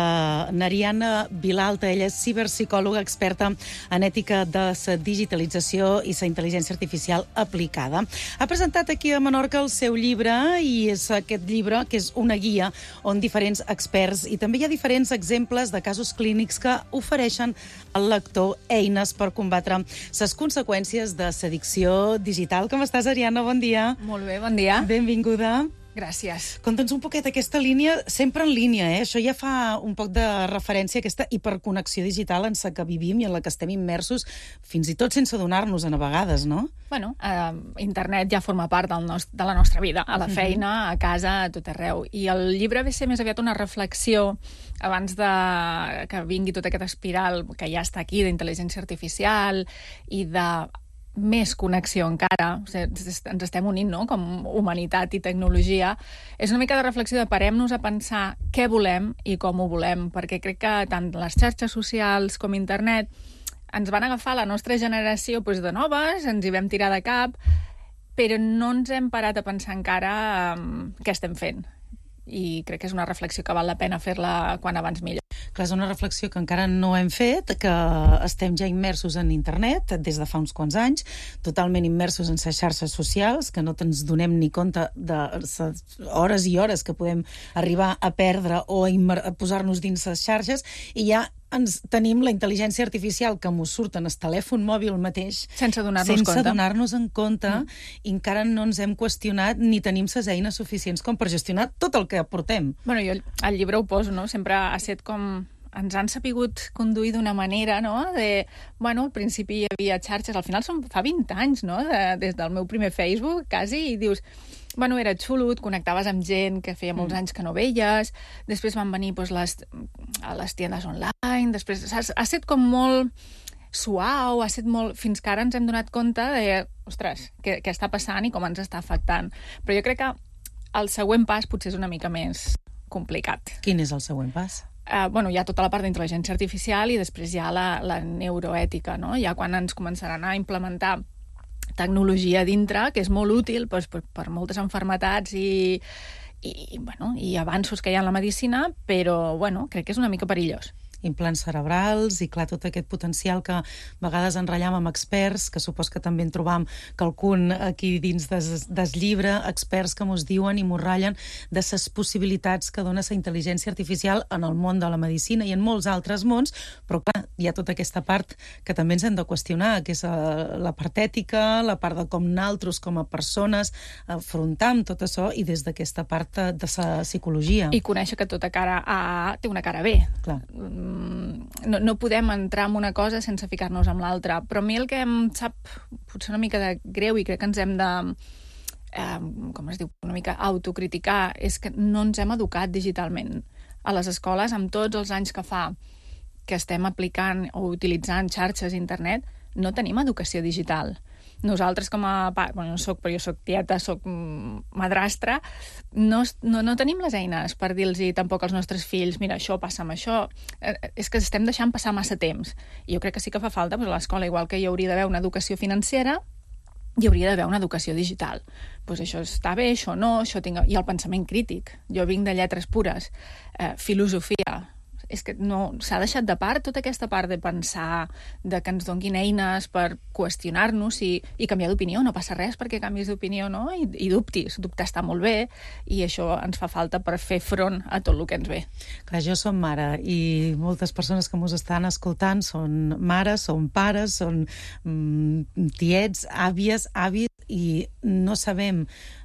Nariana Vilalta. Ella és ciberpsicòloga experta en ètica de la digitalització i la intel·ligència artificial aplicada. Ha presentat aquí a Menorca el seu llibre, i és aquest llibre que és una guia on diferents experts i també hi ha diferents exemples de casos clínics que ofereixen al lector eines per combatre les conseqüències de l'addicció digital. Com estàs, Ariana? Bon dia. Molt bé, bon dia. Benvinguda. Gràcies. Conta'ns un poquet aquesta línia, sempre en línia, Això ja fa un poc de referència a aquesta hiperconnexió digital en la que vivim i en la que estem immersos, fins i tot sense adonar-nos-en a vegades, no? Bueno, internet ja forma part de la nostra vida, a la feina, a casa, a tot arreu. I el llibre ve ser més aviat una reflexió abans que vingui tota aquesta espiral que ja està aquí d'intel·ligència artificial i de més connexió encara, o sigui, ens estem unint, no?, com humanitat i tecnologia, és una mica de reflexió de parem-nos a pensar què volem i com ho volem, perquè crec que tant les xarxes socials com internet ens van agafar la nostra generació doncs, de noves, ens hi vam tirar de cap, però no ens hem parat a pensar encara què estem fent. I crec que és una reflexió que val la pena fer-la quan abans millor. Clar, és una reflexió que encara no hem fet, que estem ja immersos en internet des de fa uns quants anys, totalment immersos en les xarxes socials, que no ens donem ni compte de hores i hores que podem arribar a perdre o a posar-nos dins les xarxes, i ja tenim la intel·ligència artificial que mos surt en el telèfon mòbil mateix sense donar-nos en compte i encara no ens hem qüestionat ni tenim les eines suficients com per gestionar tot el que aportem. Bueno, jo al llibre ho poso, no? Sempre ha estat com ens han sapigut conduir d'una manera, no? Bueno, al principi hi havia xarxes, al final fa 20 anys, no? Des del meu primer Facebook, quasi, i dius, bueno, era xulo, et connectaves amb gent que feia molts anys que no veies, després van venir les tiendes online, després ha estat com molt suau, ha estat molt... Fins que ara ens hem donat compte de, ostres, què està passant i com ens està afectant. Però jo crec que el següent pas potser és una mica més complicat. Quin és el següent pas? Bueno, hi ha tota la part d'intel·ligència artificial i després hi ha la neuroètica, no? Ja quan ens començaran a implementar tecnologia dintre, que és molt útil per moltes malalties i avanços que hi ha en la medicina, però crec que és una mica perillós. Implants cerebrals i, clar, tot aquest potencial que a vegades enratllam amb experts, que supos que també en trobam quelcun aquí dins del llibre, experts que mos diuen i mos ratllen de les possibilitats que dona la intel·ligència artificial en el món de la medicina i en molts altres mons, però, clar, hi ha tota aquesta part que també ens hem de qüestionar, que és la part ètica, la part de com nosaltres, com a persones, afrontam tot això i des d'aquesta part de la psicologia. I conèixer que tota cara A té una cara B. Clar. No podem entrar en una cosa sense ficar-nos amb l'altra, però a mi el que em sap potser una mica de greu i crec que ens hem de com es diu, una mica autocriticar, és que no ens hem educat digitalment a les escoles amb tots els anys que fa que estem aplicant o utilitzant xarxes internet, no tenim educació digital. Nosaltres com a... Bueno, no soc, però jo soc tieta, soc madrastra, no tenim les eines per dir-los tampoc als nostres fills, mira, això passa amb això. És que estem deixant passar massa temps. I jo crec que sí que fa falta, a l'escola, igual que hi hauria d'haver una educació financera, hi hauria d'haver una educació digital. Doncs això està bé, això no, això tinc... I el pensament crític. Jo vinc de lletres pures. Filosofia. És que no s'ha deixat de part tota aquesta part de pensar, de que ens donguin eines per qüestionar-nos i canviar d'opinió. No passa res perquè canvis d'opinió, no? I dubtis. Dubtar està molt bé i això ens fa falta per fer front a tot el que ens ve. Clar, jo som mare i moltes persones que mos estan escoltant són mares, són pares, són tiets, àvies, avis, i no sabem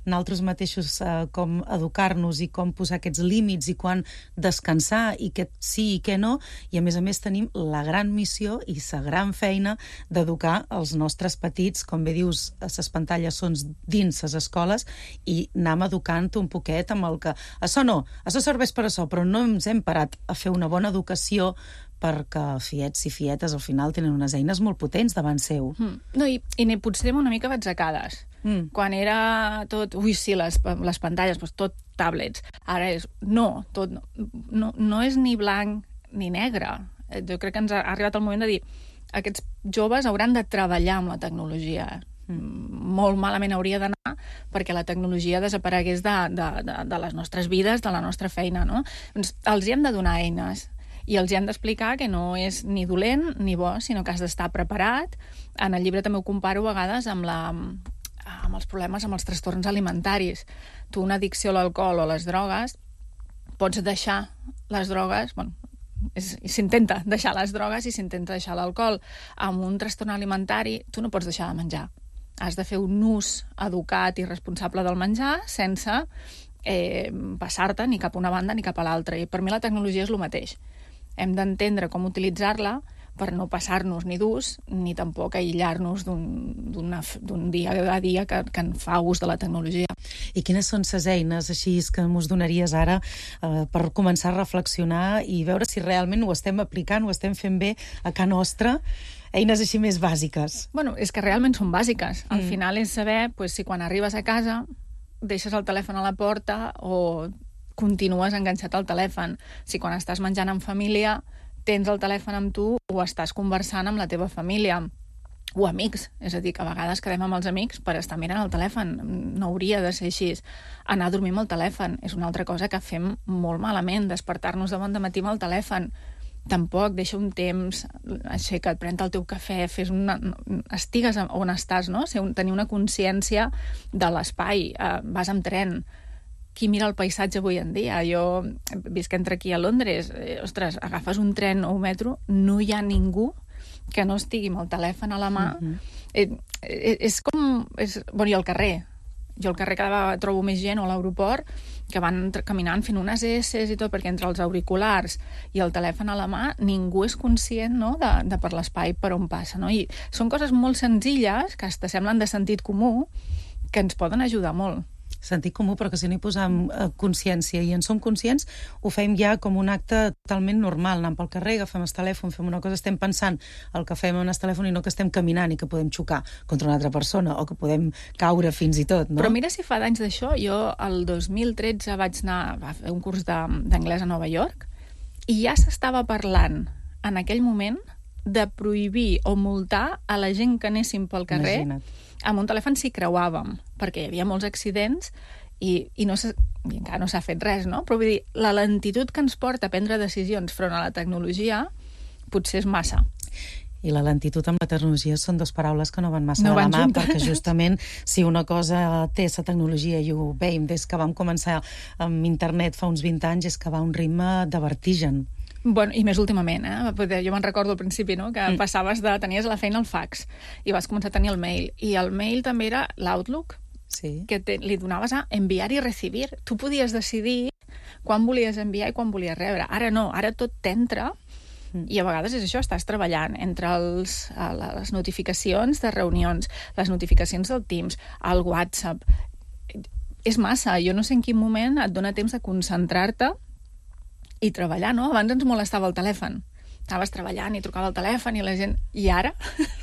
nosaltres mateixos com educar-nos i com posar aquests límits i quan descansar i què sí i què no, i a més tenim la gran missió i la gran feina d'educar els nostres petits, com bé dius, les pantalles són dins les escoles i anem educant un poquet amb el que... Això serveix per això, però no ens hem parat a fer una bona educació perquè fiets i fietes al final tenen unes eines molt potents davant seu. No, i potser anem una mica batzacades. Quan era tot... Ui, sí, les pantalles, doncs tot tablets. Ara és... No és ni blanc ni negre. Jo crec que ens ha arribat el moment de dir aquests joves hauran de treballar amb la tecnologia. Molt malament hauria d'anar perquè la tecnologia desaparegués de les nostres vides, de la nostra feina, no? Doncs els hi hem de donar eines i els hi hem d'explicar que no és ni dolent ni bo, sinó que has d'estar preparat. En el llibre també ho comparo a vegades amb els problemes, amb els trastorns alimentaris. Tu, una addicció a l'alcohol o a les drogues, pots deixar les drogues... Bueno, s'intenta deixar les drogues i s'intenta deixar l'alcohol. Amb un trastorn alimentari, tu no pots deixar de menjar. Has de fer un ús educat i responsable del menjar sense passar-te ni cap a una banda ni cap a l'altra. I per mi la tecnologia és el mateix. Hem d'entendre com utilitzar-la per no passar-nos ni d'ús, ni tampoc aïllar-nos d'un dia a dia que en fa ús de la tecnologia. I quines són les eines així que ens donaries ara per començar a reflexionar i veure si realment ho estem aplicant, ho estem fent bé a casa nostra? eines així més bàsiques. Bueno, és que realment són bàsiques. Al final és saber si quan arribes a casa deixes el telèfon a la porta o continues enganxat al telèfon. Si quan estàs menjant en família tens el telèfon amb tu o estàs conversant amb la teva família o amics. És a dir, que a vegades quedem amb els amics per estar mirant el telèfon. No hauria de ser així. Anar a dormir amb el telèfon és una altra cosa que fem molt malament, despertar-nos de bon dematí amb el telèfon. Tampoc, deixa un temps, aixeca't, pren el teu cafè, estigues on estàs, no? Tenir una consciència de l'espai. Vas amb tren. Qui mira el paisatge avui en dia? Jo visc entre aquí a Londres. Ostres, agafes un tren o un metro, no hi ha ningú que no estigui amb el telèfon a la mà. És com... Bueno, i al carrer. Jo al carrer cada vegada trobo més gent o a l'aeroport que van caminant fent unes esses i tot, perquè entre els auriculars i el telèfon a la mà ningú és conscient, no?, de per l'espai per on passa, no? I són coses molt senzilles que hasta semblen de sentit comú que ens poden ajudar molt. Sentit comú, però que si no hi posem consciència i en som conscients, ho fem ja com un acte totalment normal. Anem pel carrer, agafem el telèfon, fem una cosa, estem pensant el que fem en el telèfon i no que estem caminant i que podem xocar contra una altra persona o que podem caure fins i tot, no? Però mira si fa d'anys d'això. Jo el 2013 vaig anar a fer un curs d'anglès a Nova York i ja s'estava parlant en aquell moment de prohibir o multar a la gent que anéssim pel carrer. Imagina't. Amb un telèfon si creuàvem, perquè hi havia molts accidents i encara no s'ha fet res, no? Però vull dir, la lentitud que ens porta a prendre decisions front a la tecnologia potser és massa. I la lentitud amb la tecnologia són dues paraules que no van massa de la mà, perquè justament si una cosa té la tecnologia, i ho veiem des que vam començar amb internet fa uns 20 anys, és que va a un ritme de vertigen. Bueno, i més últimament, jo me'n recordo al principi, no?, que tenies a la feina el fax i vas començar a tenir el mail. I el mail també era l'Outlook, que li donaves a enviar i recibir. Tu podies decidir quan volies enviar i quan volies rebre. Ara no, ara tot t'entra i a vegades és això, estàs treballant entre les notificacions de reunions, les notificacions del Teams, el WhatsApp. És massa, jo no sé en quin moment et dona temps de concentrar-te i treballar, no? Abans ens molestava el telèfon. Estaves treballant i trucava el telèfon i la gent... I ara?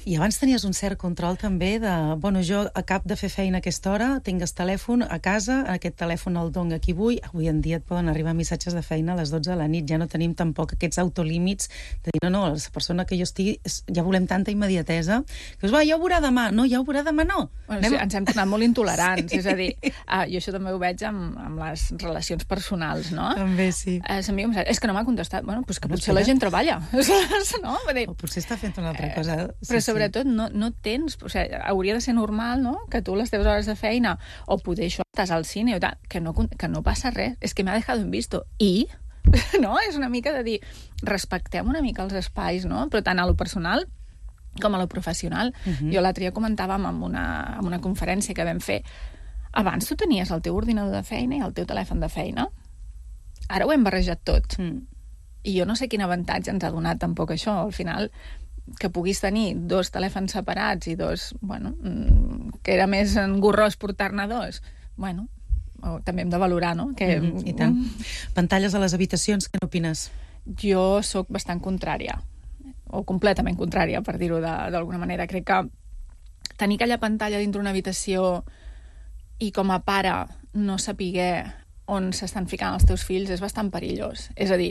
I abans tenies un cert control també de... Bueno, jo acabo de fer feina a aquesta hora, tinc el telèfon a casa, aquest telèfon el dono a qui vull. Avui en dia et poden arribar missatges de feina a les 12 de la nit. Ja no tenim tampoc aquests autolímits de dir, no, la persona que jo estigui... Ja volem tanta immediatesa que dius, ja ho veurà demà. No, ja ho veurà demà, no. Bueno, sí, ens hem tornat molt intolerants. És a dir, jo això també ho veig amb les relacions personals, no? També, sí. És que no m'ha contestat. Bueno, doncs que potser la gent treballa. No? O potser està fent una altra cosa. Però sobretot no tens... O sigui, hauria de ser normal, no?, que tu les teves hores de feina o poder això, estàs al cine o tal, que no passa res. És que m'ha dejado en visto. I... No? És una mica de dir, respectem una mica els espais, no? Però tant a lo personal com a lo professional. Jo l'altre dia comentàvem en una conferència que vam fer. Abans tu tenies el teu ordinador de feina i el teu telèfon de feina. Ara ho hem barrejat tot. I jo no sé quin avantatge ens ha donat tampoc això. Al final, que puguis tenir dos telèfons separats i dos... Bueno, que era més engorrós portar-ne dos. Bueno, també hem de valorar, no? I tant. Pantalles a les habitacions, què n'opines? Jo sóc bastant contrària, o completament contrària, per dir-ho d'alguna manera. Crec que tenir aquella pantalla dintre una habitació i com a pare no saber on s'estan ficant els teus fills és bastant perillós. És a dir,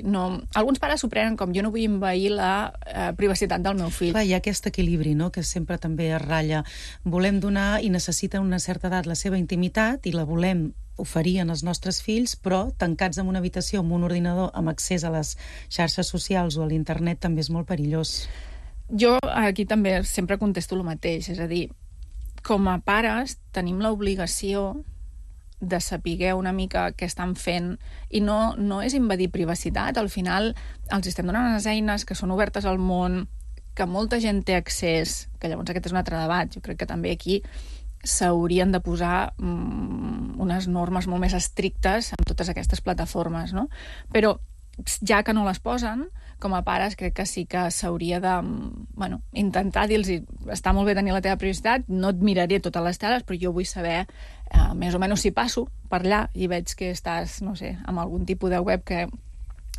alguns pares s'ho prenen com jo no vull envair la privacitat del meu fill. Clar, hi ha aquest equilibri, no?, que sempre també es ratlla. Volem donar i necessita una certa edat la seva intimitat i la volem oferir als nostres fills, però tancats en una habitació amb un ordinador amb accés a les xarxes socials o a l'internet també és molt perillós. Jo aquí també sempre contesto el mateix, és a dir, com a pares tenim l'obligació de saber una mica què estan fent i no és invadir privacitat. Al final els estem donant unes eines que són obertes al món, que molta gent té accés, que llavors aquest és un altre debat. Jo crec que també aquí s'haurien de posar unes normes molt més estrictes en totes aquestes plataformes, no? Però ja que no les posen, com a pares crec que sí que s'hauria de intentar dir-los, està molt bé tenir la teva privacitat, no et miraré totes les teles, però jo vull saber més o menys si passo per allà i veig que estàs, no sé, amb algun tipus de web que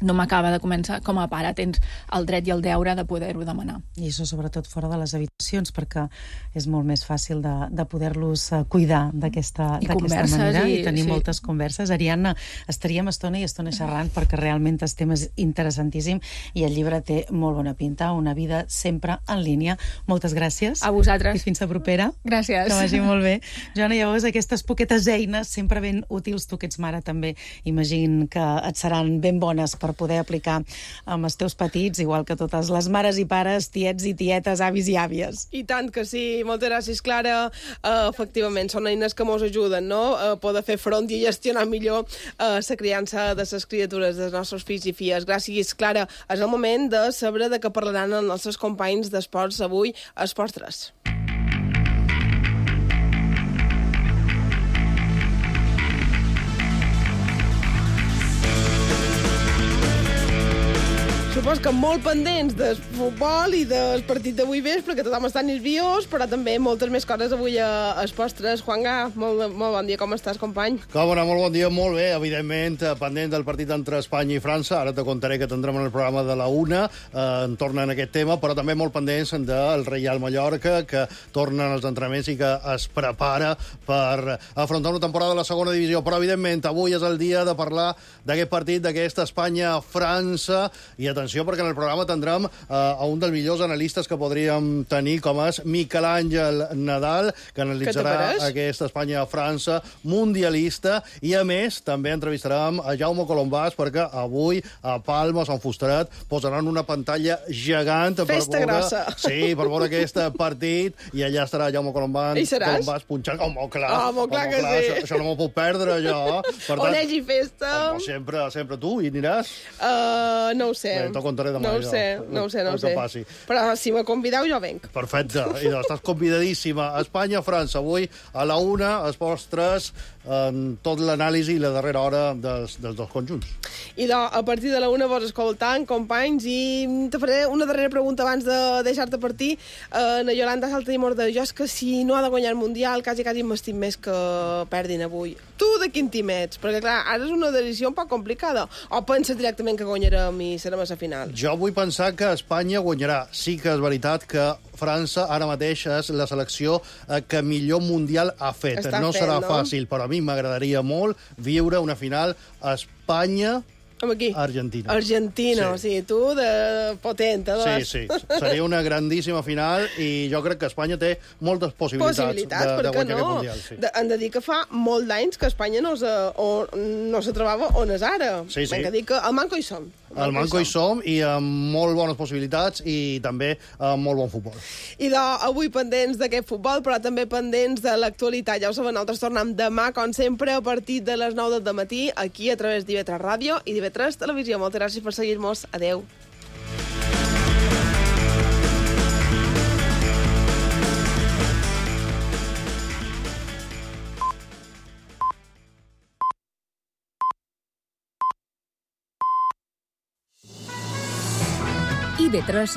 no m'acaba de començar. Com a pare tens el dret i el deure de poder-ho demanar. I això sobretot fora de les habitacions, perquè és molt més fàcil de poder-los cuidar d'aquesta manera i tenir moltes converses. Ariadna, estaríem estona i estona xerrant perquè realment el tema és interessantíssim i el llibre té molt bona pinta, Una vida sempre en línia. Moltes gràcies. A vosaltres. I fins la propera. Gràcies. Que vagi molt bé. Joana, llavors aquestes poquetes eines sempre ben útils, tu que ets mare també, imagino que et seran ben bones per poder aplicar amb els teus petits, igual que totes les mares i pares, tiets i tietes, avis i àvies. I tant que sí. Moltes gràcies, Clara. Efectivament, són eines que mos ajuden, no?, a poder fer front i gestionar millor la criança de les criatures, dels nostres fills i filles. Gràcies, Clara. És el moment de saber de què parlaran els nostres companys d'esports avui a Esports 3. Supos que molt pendents del futbol i del partit d'avui vespre, que tothom està nerviós, però també moltes més coses avui a Esports 3. Juanga, molt bon dia, com estàs, company? Com anar, molt bon dia, molt bé, evidentment, pendent del partit entre Espanya i França. Ara te contaré que tindrem en el programa de la 1, en torna en aquest tema, però també molt pendents del Reial Mallorca, que tornen als entrenaments i que es prepara per afrontar una temporada de la segona divisió. Però, evidentment, avui és el dia de parlar d'aquest partit, d'aquesta Espanya-França, i atenció, perquè en el programa tindrem a un dels millors analistes que podríem tenir, com és Miquel Àngel Nadal, que analitzarà aquesta Espanya-França mundialista, i a més també entrevistarem a Jaume Colombàs, perquè avui a Palma, a Sant Fusterat, posaran una pantalla gegant Festa grossa. Sí, per veure aquest partit, i allà estarà Jaume Colombàs punxant. Home, clar, que sí. Això no m'ho puc perdre, jo. Per tant, on hi hagi festa? Home, sempre tu, hi aniràs? No ho sé. Bé, t'ho contaré demà. No ho sé. Però si me convideu, jo venc. Perfecte. Idò, estàs convidadíssima. Espanya-França, avui a la 1, Esports 3, tot l'anàlisi i la darrera hora dels dos conjunts. Idò, a partir de la 1 vos escoltant, companys, i te faré una darrera pregunta abans de deixar-te partir. Na Yolanda Saltadimor de jo és que si no ha de guanyar el Mundial, quasi m'estim més que perdin avui. Tu de quin team ets? Perquè, clar, ara és una decisió un poc complicada. O penses directament que guanyarem i serem a la final? Jo vull pensar que Espanya guanyarà. Sí que és veritat que França ara mateix és la selecció que millor Mundial ha fet. No serà fàcil, però a mi m'agradaria molt viure una final Espanya... Argentina. Argentina, sí. O sigui, tu de potent, Sí, seria una grandíssima final i jo crec que Espanya té moltes possibilitats de guanyar aquest Mundial. Sí. Hem de dir que fa molt d'anys que Espanya no se trobava on és ara. Sí. Hem de dir que al manco hi som. Al manco hi som i amb molt bones possibilitats i també amb molt bon futbol. I avui pendents d'aquest futbol, però també pendents de l'actualitat. Ja ho sabeu, nosaltres tornem demà, com sempre, a partir de les 9 del matí, aquí a través d'IV3 Ràdio i d'IV3 Televisió. Moltes gràcies per seguir-nos. Adeu. IV3